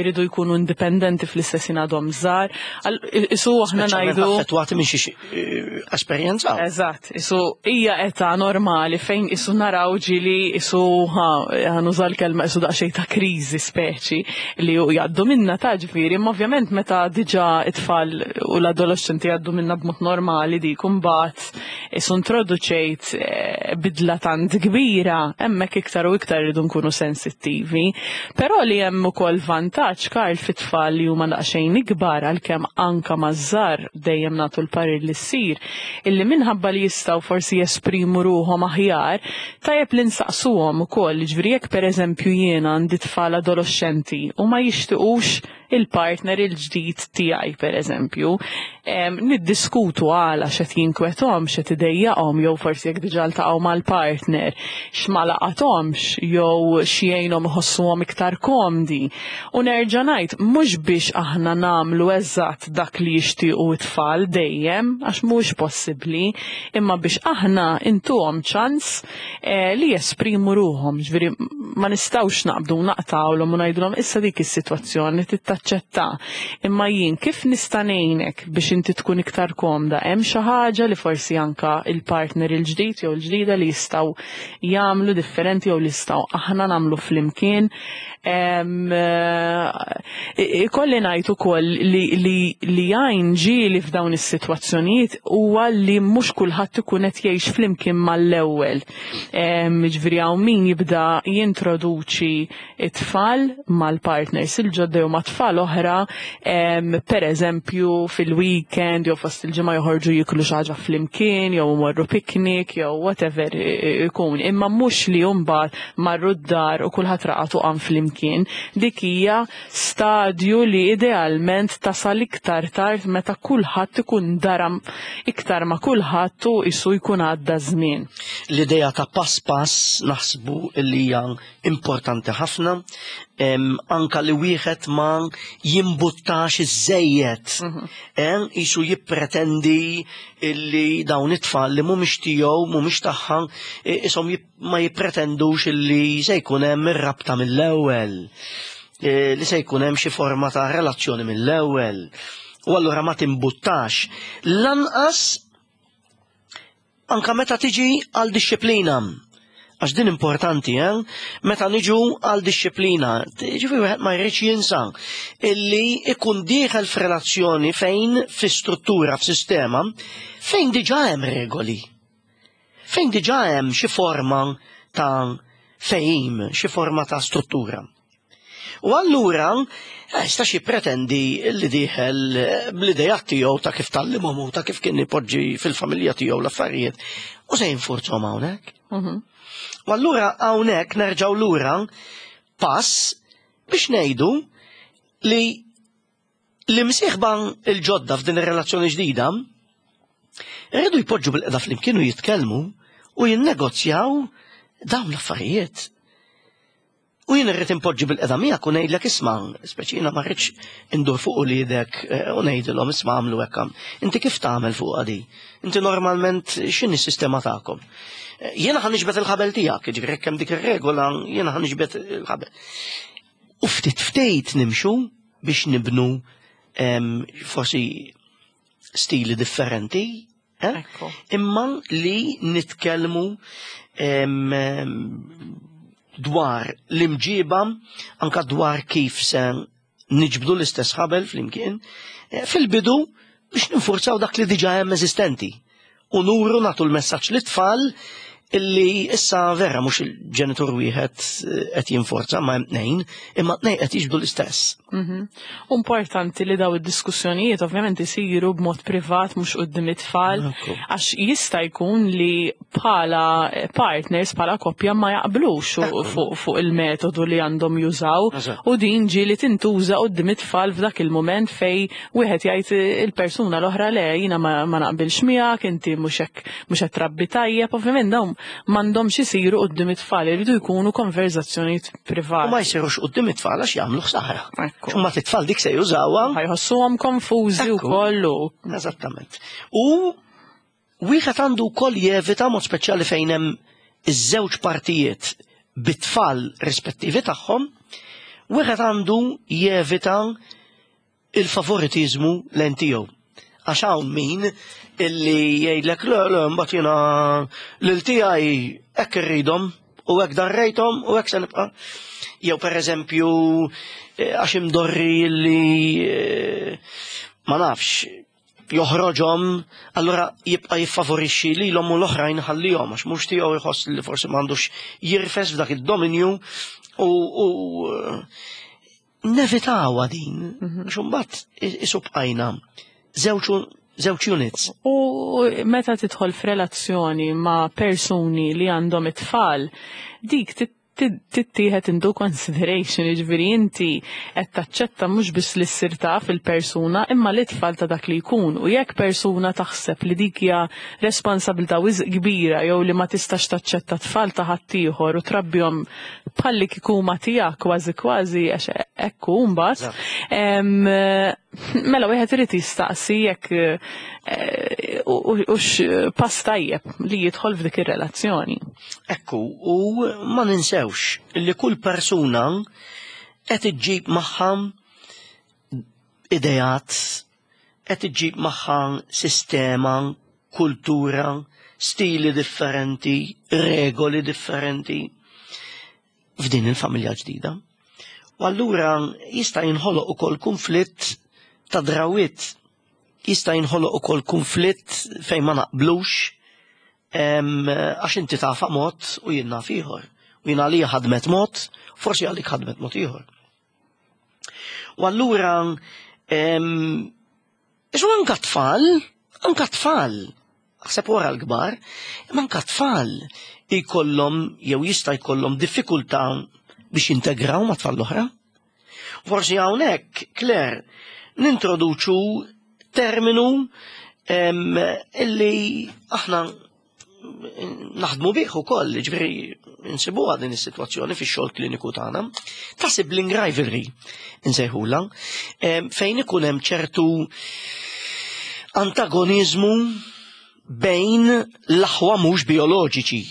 iridu jkunu indipendenti fl-istess ħin għadhom żgħar. Isu aħna ngħidu. Affettwati minn xi eh, esperjenza. Eżatt, isu hija età normali fejn isu naraw ġili isu ħa nuża l-kelma isu daqsxejn ta' kriżi speċi li jgħaddu minna ta' ġifieri, imma ovvjament meta diġà it-tfal u l-adolescenti jgħaddu minna b'mod normali dik imbagħad isu introduċejt bidla tant kbira, hemmhekk iktar u iktar irridu nkunu sensittivi. Però li hemm ukoll vantaġġ, Karl, fit-tfal li huma daqsxejn ikbar, għalkemm anka maż-żgħar dejjem nagħtu l-parir li ssir, illi minħabba li jistgħu forsi jesprimu ruħhom aħjar, tajjeb li nsaqsuhom ukoll, jiġifieri jekk pereżempju jiena għandi tfal adolescenti u ma jixtiqux il-partner il-ġdid tiegħi pereżempju, niddiskutu għala x'qed jinkwethom, x'qed idejjaqhom, jew forsi jekk diġà ltaqgħu mal-partner, x'ma laqathomx, jew x'jgħinhom iħossuhom iktar komdi. U nerġa' ngħid, mhux biex aħna nagħmlu eżatt dak li jixtiequ it-tfal dejjem, għax mhuwiex possibbli, imma biex aħna intuhom ċans li jesprimu ruħhom. Ġifieri ma nistgħux naqbdu naqtgħulhom u ngħidulhom issa dik is-sitwazzjoni taċċetta. Imma jien kif nista' ngħinek biex inti tkun iktar komda? Hemm xi ħaġa li forsi anka il-partner il-ġdid jew il-ġdida li jistgħu jagħmlu differenti jew li jistgħu aħna nagħmlu flimkien. Ikolli ngħid ukoll li jgħin ġieli f'dawn is-sitwazzjonijiet huwa li mhux kulħadd ikun qed jgħix flimkien mal-ewwel. Ġifieri hawn min jibda jintroduċi it-tfal mal-partners il-ġodda jew ma' tfal oħra, per eżempju fil-weekend jew fost il-ġimgħa joħorġu jiklu xi ħaġa flimkien jew imorru picnic jew whatever ikun. Imma mhux li mbagħad marru d-dar u kulħadd raqad u qam flimkien. Dik hija stadju li idealment tasal iktar tard meta kulħadd ikun daram iktar ma' kulħadd u isu jkun għadda żmien. L-idea ta' pass pass naħsbu li hija importanti ħafna, anka li wieħed ma jimbuttax iż-żejjed. Isu jippretendi illi dawn it-tfal li mhumiex tiegħu, mhumiex tagħha, ishom ma jippretendux illi se jkun hemm ir-rabta mill-ewwel, li se jkun hemm xi forma ta' relazzjoni mill-ewwel. U allura ma timbuttax. Lanqas anka meta tiġi għal dixxiplina. Għax din importanti, Meta niġu għal dixxiplina, ġifieri wieħed ma jridx jinsa illi ikun dieħel f'relazzjoni fejn fi struttura, f'sistema, fejn diġà hemm regoli. Fejn diġà hemm xi forma ta' fehim, xi forma ta' struttura. U allura, jistax jippretendi li dieħel bl-idejat tiegħu ta' kif tallimhom u ta' kif kien ipoġġi fil-familja tiegħu l-affarijiet u se jinfurzhom hawnhekk. U allura hawnhekk nerġgħu lura pass biex ngħidu li l-imsieħba l-ġodda f'din ir-relazzjoni ġdida rridu jpoġġu bil-qeda flimkien u jitkellmu u jinnegozjaw dawn l-affarijiet. U jien irrid inpoġġi bil-qeda miegħek u ngħidlek isma', speċi jiena ma rridx indur fuq uliedek u ngħidilhom isma' għamlu hekk għam. Inti kif tagħmel fuq di? Inti normalment x'inhi s-sistema tagħkom? Jiena ħa niġbed il-ħabel tiegħek, jiġifieri jekk hemm dik ir-regola, jiena ħa niġbed il-ħabel. U ftit ftit nimxu biex nibnu forsi stili differenti, Imma li nitkellmu dwar l-imġiba, anka dwar kif se niġbdu l-istess ħabel flimkien, fil-bidu biex ninfurzaw dak li diġa hemm eżistenti. U nuru nagħtu l-messaġġ lit-tfal illi issa vera mhux il-ġenitur wieħed qed jinforza ma hemm tnejn, imma tnejn qed jiġbdu l-istess. Importanti li daw id-diskussjonijiet ovvjament isiru b'mod privat mhux quddiem it-tfal, għax jista' jkun li bħala partners, bħala koppja ma jaqblux fuq il-metodu li għandhom jużaw, u din ġieli tintuża quddiem it-tfal f'dak il-mument fej wieħed jgħid il-persuna l-oħra le jiena ma naqbilx miegħek, inti mhux hekk, mhux qed trabbi tajjeb, ovvjament dawn m'għandhomx isiru quddiem it-tfal, iridu jkunu konverzazzjonijiet privati. U ma jsirux quddiem it-tfal għax jagħmlu ħsara. Imma t-tfal dik se jużawha. Ħajħossuhom konfużi wkoll u Eżattament. U wieħed għandu wkoll jevita mod speċjali fejn hemm iż-żewġ partijiet bit-tfal rispettivi tagħhom, wieħed għandu jevita il-favoritizmu lejn tiegħu. Għax hawn min illi jgħidlek le le mbagħad jiena lil tiegħi hekk irridhom u hekk darrejthom u hekk se nibqa'. Jew pereżempju eh, għax imdorri illi eh, ma nafx joħroġhom, allura jibqa' jiffavorixxi lilhom u l-oħrajn ħallihom għax mhux tiegħu jħoss li forsi m'għandux jirfes f'dak id-dominju u, u nevitawha din, mhm. għax imbagħad isu bqajna żewġ units. U meta tidħol f'relazzjoni ma' persuni li għandhom it-tfal, dik tittieħed into consideration, jiġifieri inti qed taċċetta mhux biss li ssir taf il-persuna imma li tfal ta' dak li jkun. U jekk persuna taħseb li dik hija responsabilità wisq kbira jew li ma tistax taċċetta tfal ta' ħaddieħor u trabbihom bħalli kieku huma tiegħek kważi kważi għax hekk hu mbagħad. Mela wieħed irid jistaqsi jekk eh, hux pass tajjeb li jidħol f'dik ir-relazzjoni. Ekku, u ma ninsewx li kull persuna qed iġġib magħha ideat, qed iġġib magħha sistema, kultura, stili differenti, regoli differenti f'din il-familja ġdida. U allura jista' jinħoloq ukoll kunflitt ta' drawiet, jista' jinħoloq ukoll kunflitt fejn ma naqblux għax inti tafa mod u jien naf ieħor. U jien għalija ħadmet mod, forsi għalik ħadmet mod ieħor. U allura Isu anka tfal, anka tfal, aħseb wara l-kbar, imma anka tfal jkollhom jew jista' jkollhom diffikultà biex jintegraw ma' tfal l-oħra. Forsi hawnhekk, Claire, nintroduċu terminu illi aħna naħdmu bih ukoll, ġifieri nsibuha din is-sitwazzjoni fix-xogħol kliniku tagħna, ta' sibling rivalry insejħula, fejn ikun hemm ċertu antagonizmu bejn l-aħwa mhux bioloġiċi,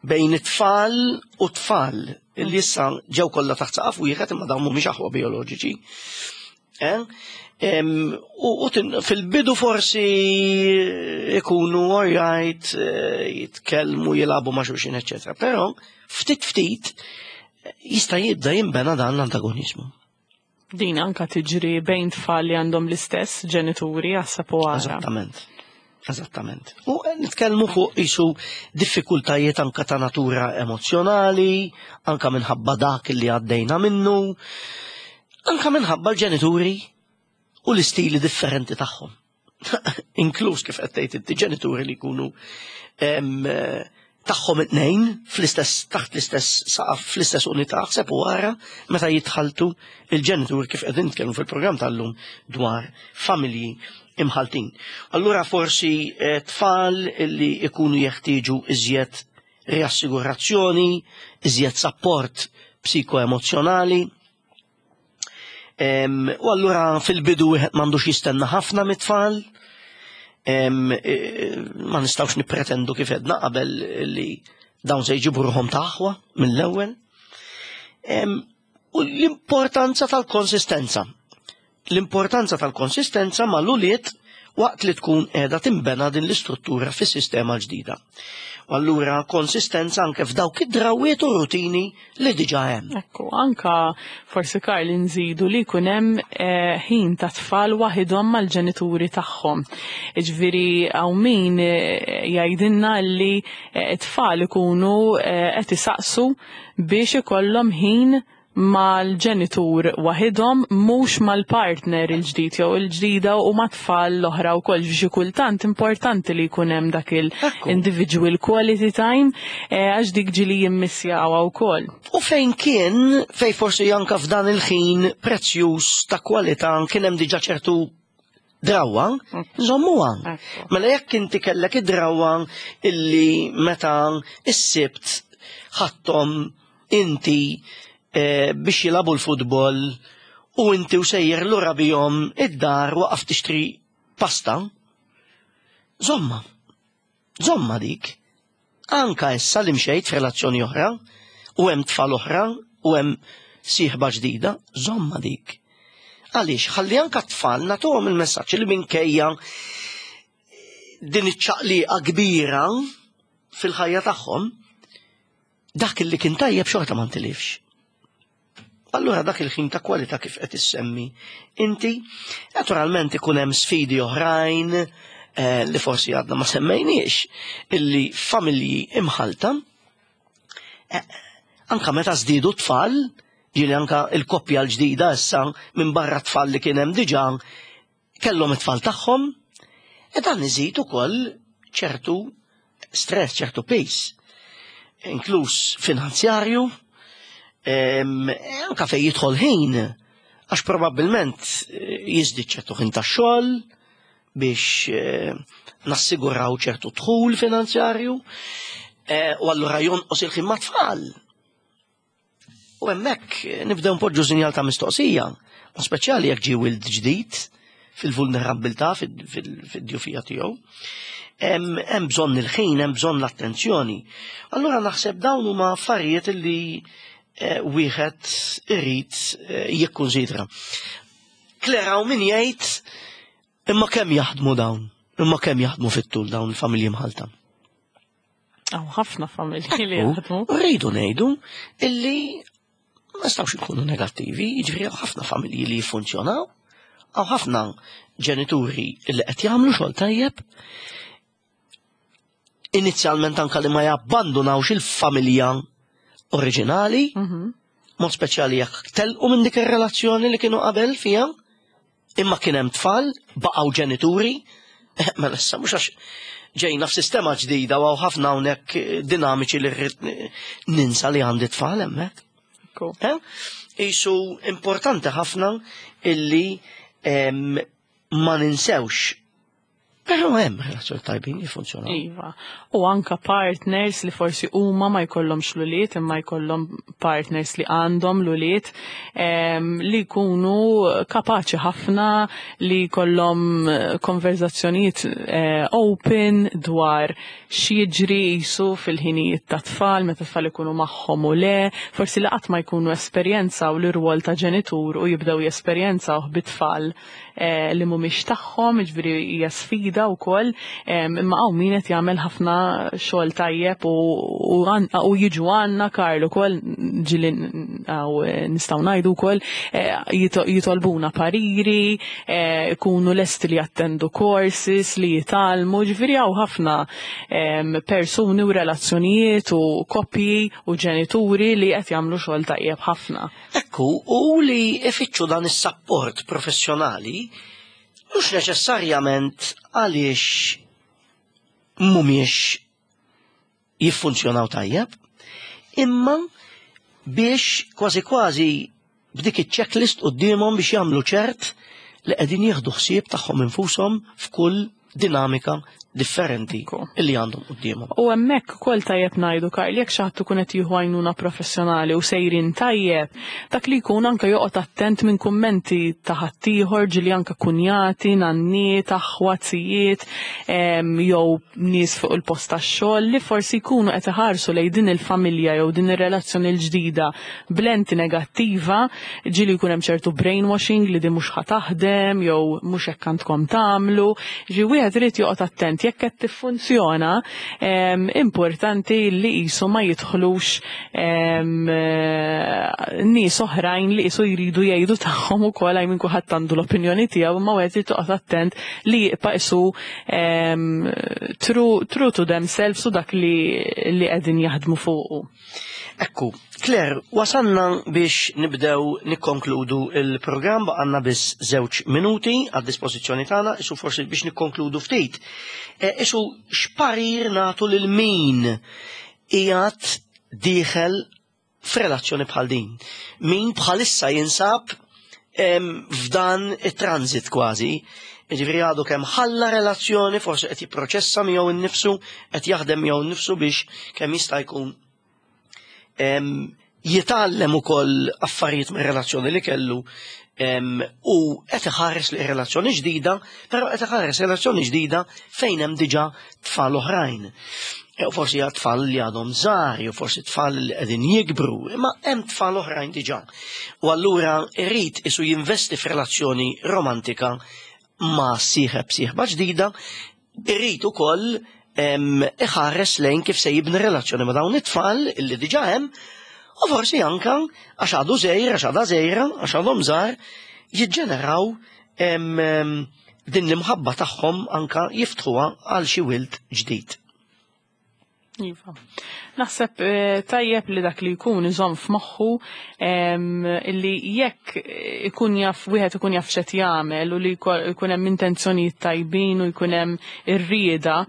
bejn it-tfal u tfal li issa ġew kollha taħt saqaf wieħed imma dawn mhumiex aħwa bioloġiċi. Eh? U fil-bidu forsi ikunu alright, eh, jitkellmu, jilagħbu ma' xulxin, eċetera. Però ftit ftit jista' jibda jinbena dan l-antagonizmu. Din anka tiġri bejn tfal li għandhom l-istess ġenituri għasab u għara. Eżattament. Eżattament. U nitkellmu fuq isu diffikultajiet anka ta' natura emozjonali, anka minħabba dak li għaddejna minnu, anka minħabba l-ġenituri u l-istili differenti tagħhom. Inkluż kif qed tgħid inti ġenituri li jkunu tagħhom it-tnejn fl-istess taħt l-istess saqaf fl-istess unità ħseb u wara meta jitħaltu il-ġenitur kif qegħdin nitkellmu fil-programm tal-lum dwar familji imħaltin. Allura forsi eh, tfal li ikunu jeħtieġu iżjed riassigurazzjoni, iżjed sapport psikoemozjonali. U allura fil-bidu wieħed m'għandux jistenna ħafna mit-tfal, e, ma nistgħux nippretendu kif edna qabel li dawn se jġibu ruħhom taħwa mill-ewwel. U l-importanza tal-konsistenza. L-importanza tal-konsistenza ma l-ulied waqt li tkun qiegħda tinbena din l-istruttura fis-sistema ġdida. U allura konsistenza anke f'dawk id-drawiet u rutini li diġà hemm. Ekku, anka forsi Karl nżidu li jkun hemm eh, ħin ta' tfal waħidhom mal-ġenituri tagħhom. Jiġifieri hawn min eh, jgħidilna li eh, t-tfal ikunu qed isaqsu biex ikollhom ħin mal-ġenitur waħidhom mhux mal-partner il-ġdid jew il-ġdida u mat-tfal l-oħra wkoll xi kultant importanti li jkun hemm dak il-individual quality time eh, għax dik ġili jimmissjawha wkoll. U fejn kien, fejn forsi anka f'dan il-ħin prezzjuż ta' kwalità kien hemm diġà ċertu drawwa, nżommuha. Mela jekk inti kellek id-drawwa illi meta s-sibt ħadthom inti eh, biex jilagħbu l-futbol u inti u sejjer lura bihom id-dar waqaf tixtri pasta, żomma. Żomma dik. Anka issa li mxejt f'relazzjoni oħra u hemm tfal oħra u hemm sieħba ġdida, żomma dik. Għaliex ħalli anka t-tfal nagħtuhom il-messaġġ li minkejja din iċ-ċaqliqa kbira fil-ħajja tagħhom, dak li kien tajjeb xorta ma ntilifx. Allura dak il-ħin ta' kwalità kif qed issemmi inti, naturalment ikun hemm sfidi oħrajn li forsi għadna ma semmejniex, illi familji imħalta, anka meta żdiedu tfal, ġieli anka il-koppja l-ġdida issa minn barra tfal li kien hemm diġà kellhom it-tfal tagħhom, e dan iżid ukoll ċertu stress, ċertu piż, inkluż finanzjarju, anka fej jidħol ħin, għax probabbilment jiżdied ċertu ħin tax-xogħol biex nassiguraw ċertu dħul finanzjarju, u allura jonqos il-ħin mat-tfal. U hemmhekk nibdew npoġġu sinjal ta' mistoqsija, u speċjali jekk ġie wild ġdid fil-vulnerabbiltà, fid-djufija tiegħu. Hemm bżonn il-ħin, hemm bżonn l-attenzjoni. Allura naħseb dawn huma affarijiet li wieħed irid jikkunsidra. Claire, hawn min jgħid imma kemm jaħdmu dawn, imma kemm jaħdmu fit-tul dawn il-familji mħalta. Hawn ħafna familji li jaħdmu. Rridu ngħidu illi ma nistgħux nkunu negattivi, jiġifieri hawn ħafna familji li jiffunzjonaw, hawn ħafna ġenituri li qed jagħmlu xogħol tajjeb. Inizjalment anka li ma jabbandunawx il-familja oriġinali, mod speċjali jekk telqu minn dik ir-relazzjoni li kienu qabel fiha, imma kien hemm tfal, baqgħu ġenituri, mela issa mhux għax ġejna f'sistema ġdida u hawn ħafna hawnhekk dinamiċi li rrid ninsa li għandi tfal hemmhekk. Isu importanti ħafna illi ma ninsewx. Però hemm relazzjoni tajbin jiffunzjonaw. Iva. U anka partners li forsi huma ma jkollhomx l-ulied, imma jkollhom partners li għandhom l-ulied, li jkunu kapaċi ħafna li jkollhom konverzazzjonijiet open dwar x'jiġri jisu fil-ħinijiet ta' tfal, meta tfal ikunu magħhom u le, forsi li qatt ma jkunu esperjenzaw l-irwol ta' ġenitur u jibdew jesperjenzawh bit-tfal li mhumiex tagħhom, jiġifieri hija sfida wkoll, imma hawn min qed jagħmel ħafna xogħol tajjeb u jiġu għandna Karl ukoll ġieli nistgħu ngħidu wkoll jitolbuna pariri, ikunu lesti li jattendu courses, li jitgħallmu, jiġifieri hawn ħafna persuni u relazzjonijiet u koppji u ġenituri li qed jagħmlu xogħol tajjeb ħafna. Ekku, u li ifittxu dan is-sapport professjonali mhux neċessarjament għaliex mhumiex jiffunzjonaw tajjeb, imma biex kważi kważi b'dik iċ-checklist quddiemhom biex jagħmlu ċert li qegħdin jieħdu ħsieb tagħhom infushom f'kull dinamika differenti illi għandhom quddiemhom. U hemmhekk ukoll tajjeb ngħidu, Karl, jekk xi ħadd ikun qed jieħu għajnuna professjonali u sejrin tajjeb, dak li jkun anke joqgħod attent minn kummenti ta' ħaddieħor, ġieli anke kunjati, nanniet, aħwa, zijiet, jew nies fuq il-post tax-xogħol li forsi jkunu qed iħarsu lejn din il-familja jew din ir-relazzjoni l-ġdida b'lenti negattiva, ġieli jkun hemm ċertu brainwashing li din mhux ħa taħdem jew mhux hekk għandkom tagħmlu. Ġi wieħed irid joqgħod attent jekk qed tiffunzjona, importanti li qisu ma jidħlux nies oħrajn li qisu jridu jgħidu tagħhom ukoll, għaj minn kulħadd għandu l-opinjoni tiegħu, imma wieħed irid joqgħod attent li jibqa' qisu true to themselves u dak li qegħdin jaħdmu fuqu. Ekku, Claire, wasalna biex nibdew nikkonkludu il-programm, baqanna biss 2 minuti għad dispożizzjoni tagħna, isu forsi biex nikkonkludu ftit. Isu x'parir nagħtu lil min qiegħed dieħel f'relazzjoni bħal din? Min bħalissa jinsab f'dan it-transit kważi, jiġifieri għadu kemm ħalla relazzjoni, forsi qed jipproċessa miegħu nnifsu, qed jaħdem miegħu nnifsu biex kemm jista' jkun jitgħallem ukoll affarijiet mir-relazzjoni li kellu. U qed iħares li relazzjoni ġdida, però qed iħares relazzjoni ġdida fejn hemm diġà tfal oħrajn. Jew forsi għad tfal li għadhom żgħar, jew forsi tfal li qegħdin jikbru, imma hemm tfal oħrajn diġà. U allura irid isu jinvesti f'relazzjoni romantika ma' sieħeb sieħba ġdida, irid ukoll iħares lejn kif se jibni relazzjoni ma' dawn it-tfal illi diġà hemm, u forsi anka għax għadu żgħir, għax għadha żgħira, għax għadhom żgħar, jiġġeneraw din l-imħabba tagħhom anka jiftħuha għal xi wild ġdid. Iva. Naħseb eh, tajjeb li dak li jkun iżomm f'moħħu illi jekk ikun jaf wieħed ikun jaf x'qed jagħmel u li jkun hemm intenzjonijiet tajbin u jkun hemm ir-rieda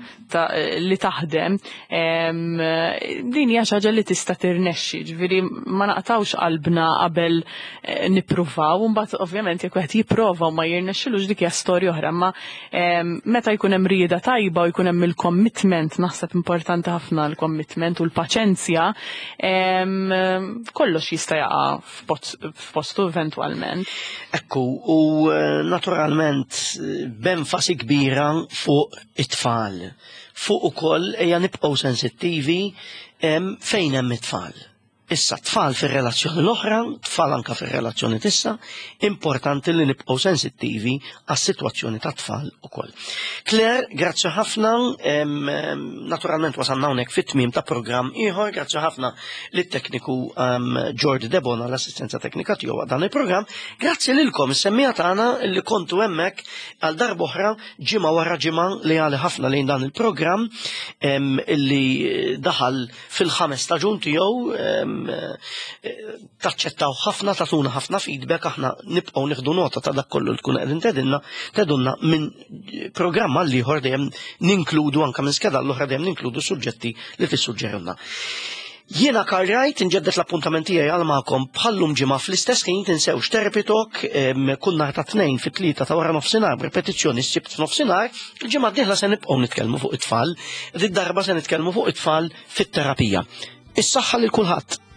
li taħdem, din hija xi ħaġa li tista' tirnexxi, ġifieri ma naqtawx qalbna qabel eh, nippruvaw, u mbagħad ovvjament jekk wieħed jipprova u ma jirnexxilux dik hija storja oħra, ma Meta jkun hemm rieda tajba u jkun hemm il-commitment, naħseb importanti ħafna l-commitment u l-paċenzja, kollox jista' jaqa' f'postu eventwalment. Ekku, u eh, naturalment b'enfasi kbira fuq it-tfal. Fuq ukoll ejja nibqgħu sensittivi fejn hemm it-tfal. Issa, tfal fir-relazzjoni l-oħra, tfal anka fir-relazzjoni tissa, importanti li nibqgħu sensittivi għas-sitwazzjoni ta' tfal ukoll. Claire, grazzi ħafna, naturalment wasalna hawnhekk fit-tmiem ta' programm ieħor, grazzi ħafna lit-tekniku George Debona l-assistenza teknika tiegħu dan il-programm, grazzi lilkom is-semmija tagħna li kontu hemmhekk għal darb'oħra ġimgħa wara ġimgħa li għali ħafna lejn dan il-programm illi daħal fil-ħames staġun tiegħu eh, taċċettaw ħafna, tatuna ħafna feedback, aħna nibqgħu nieħdu nota ta' dak kollu li tkun qegħdin tedinna, tedunna minn programm għal ieħor dejjem ninkludu anke minn skeda l-oħra dejjem ninkludu suġġetti li tissuġġerunna. Jiena Karl Wright nġeddet l-appuntament tiegħi għal magħkom bħallum ġimgħa fl-istess ħin tinsewx Therapy Talk kull nhar ta' tnejn fit-tlieta ta' wara nofsinhar b'repetizzjoni s-sibt f'nofsinhar. Il-ġimgħa d-dieħla se nibqgħu nitkellmu fuq it-tfal, Did darba se nitkellmu fuq it-tfal fit-terapija. Is-saħħa lil kulħadd.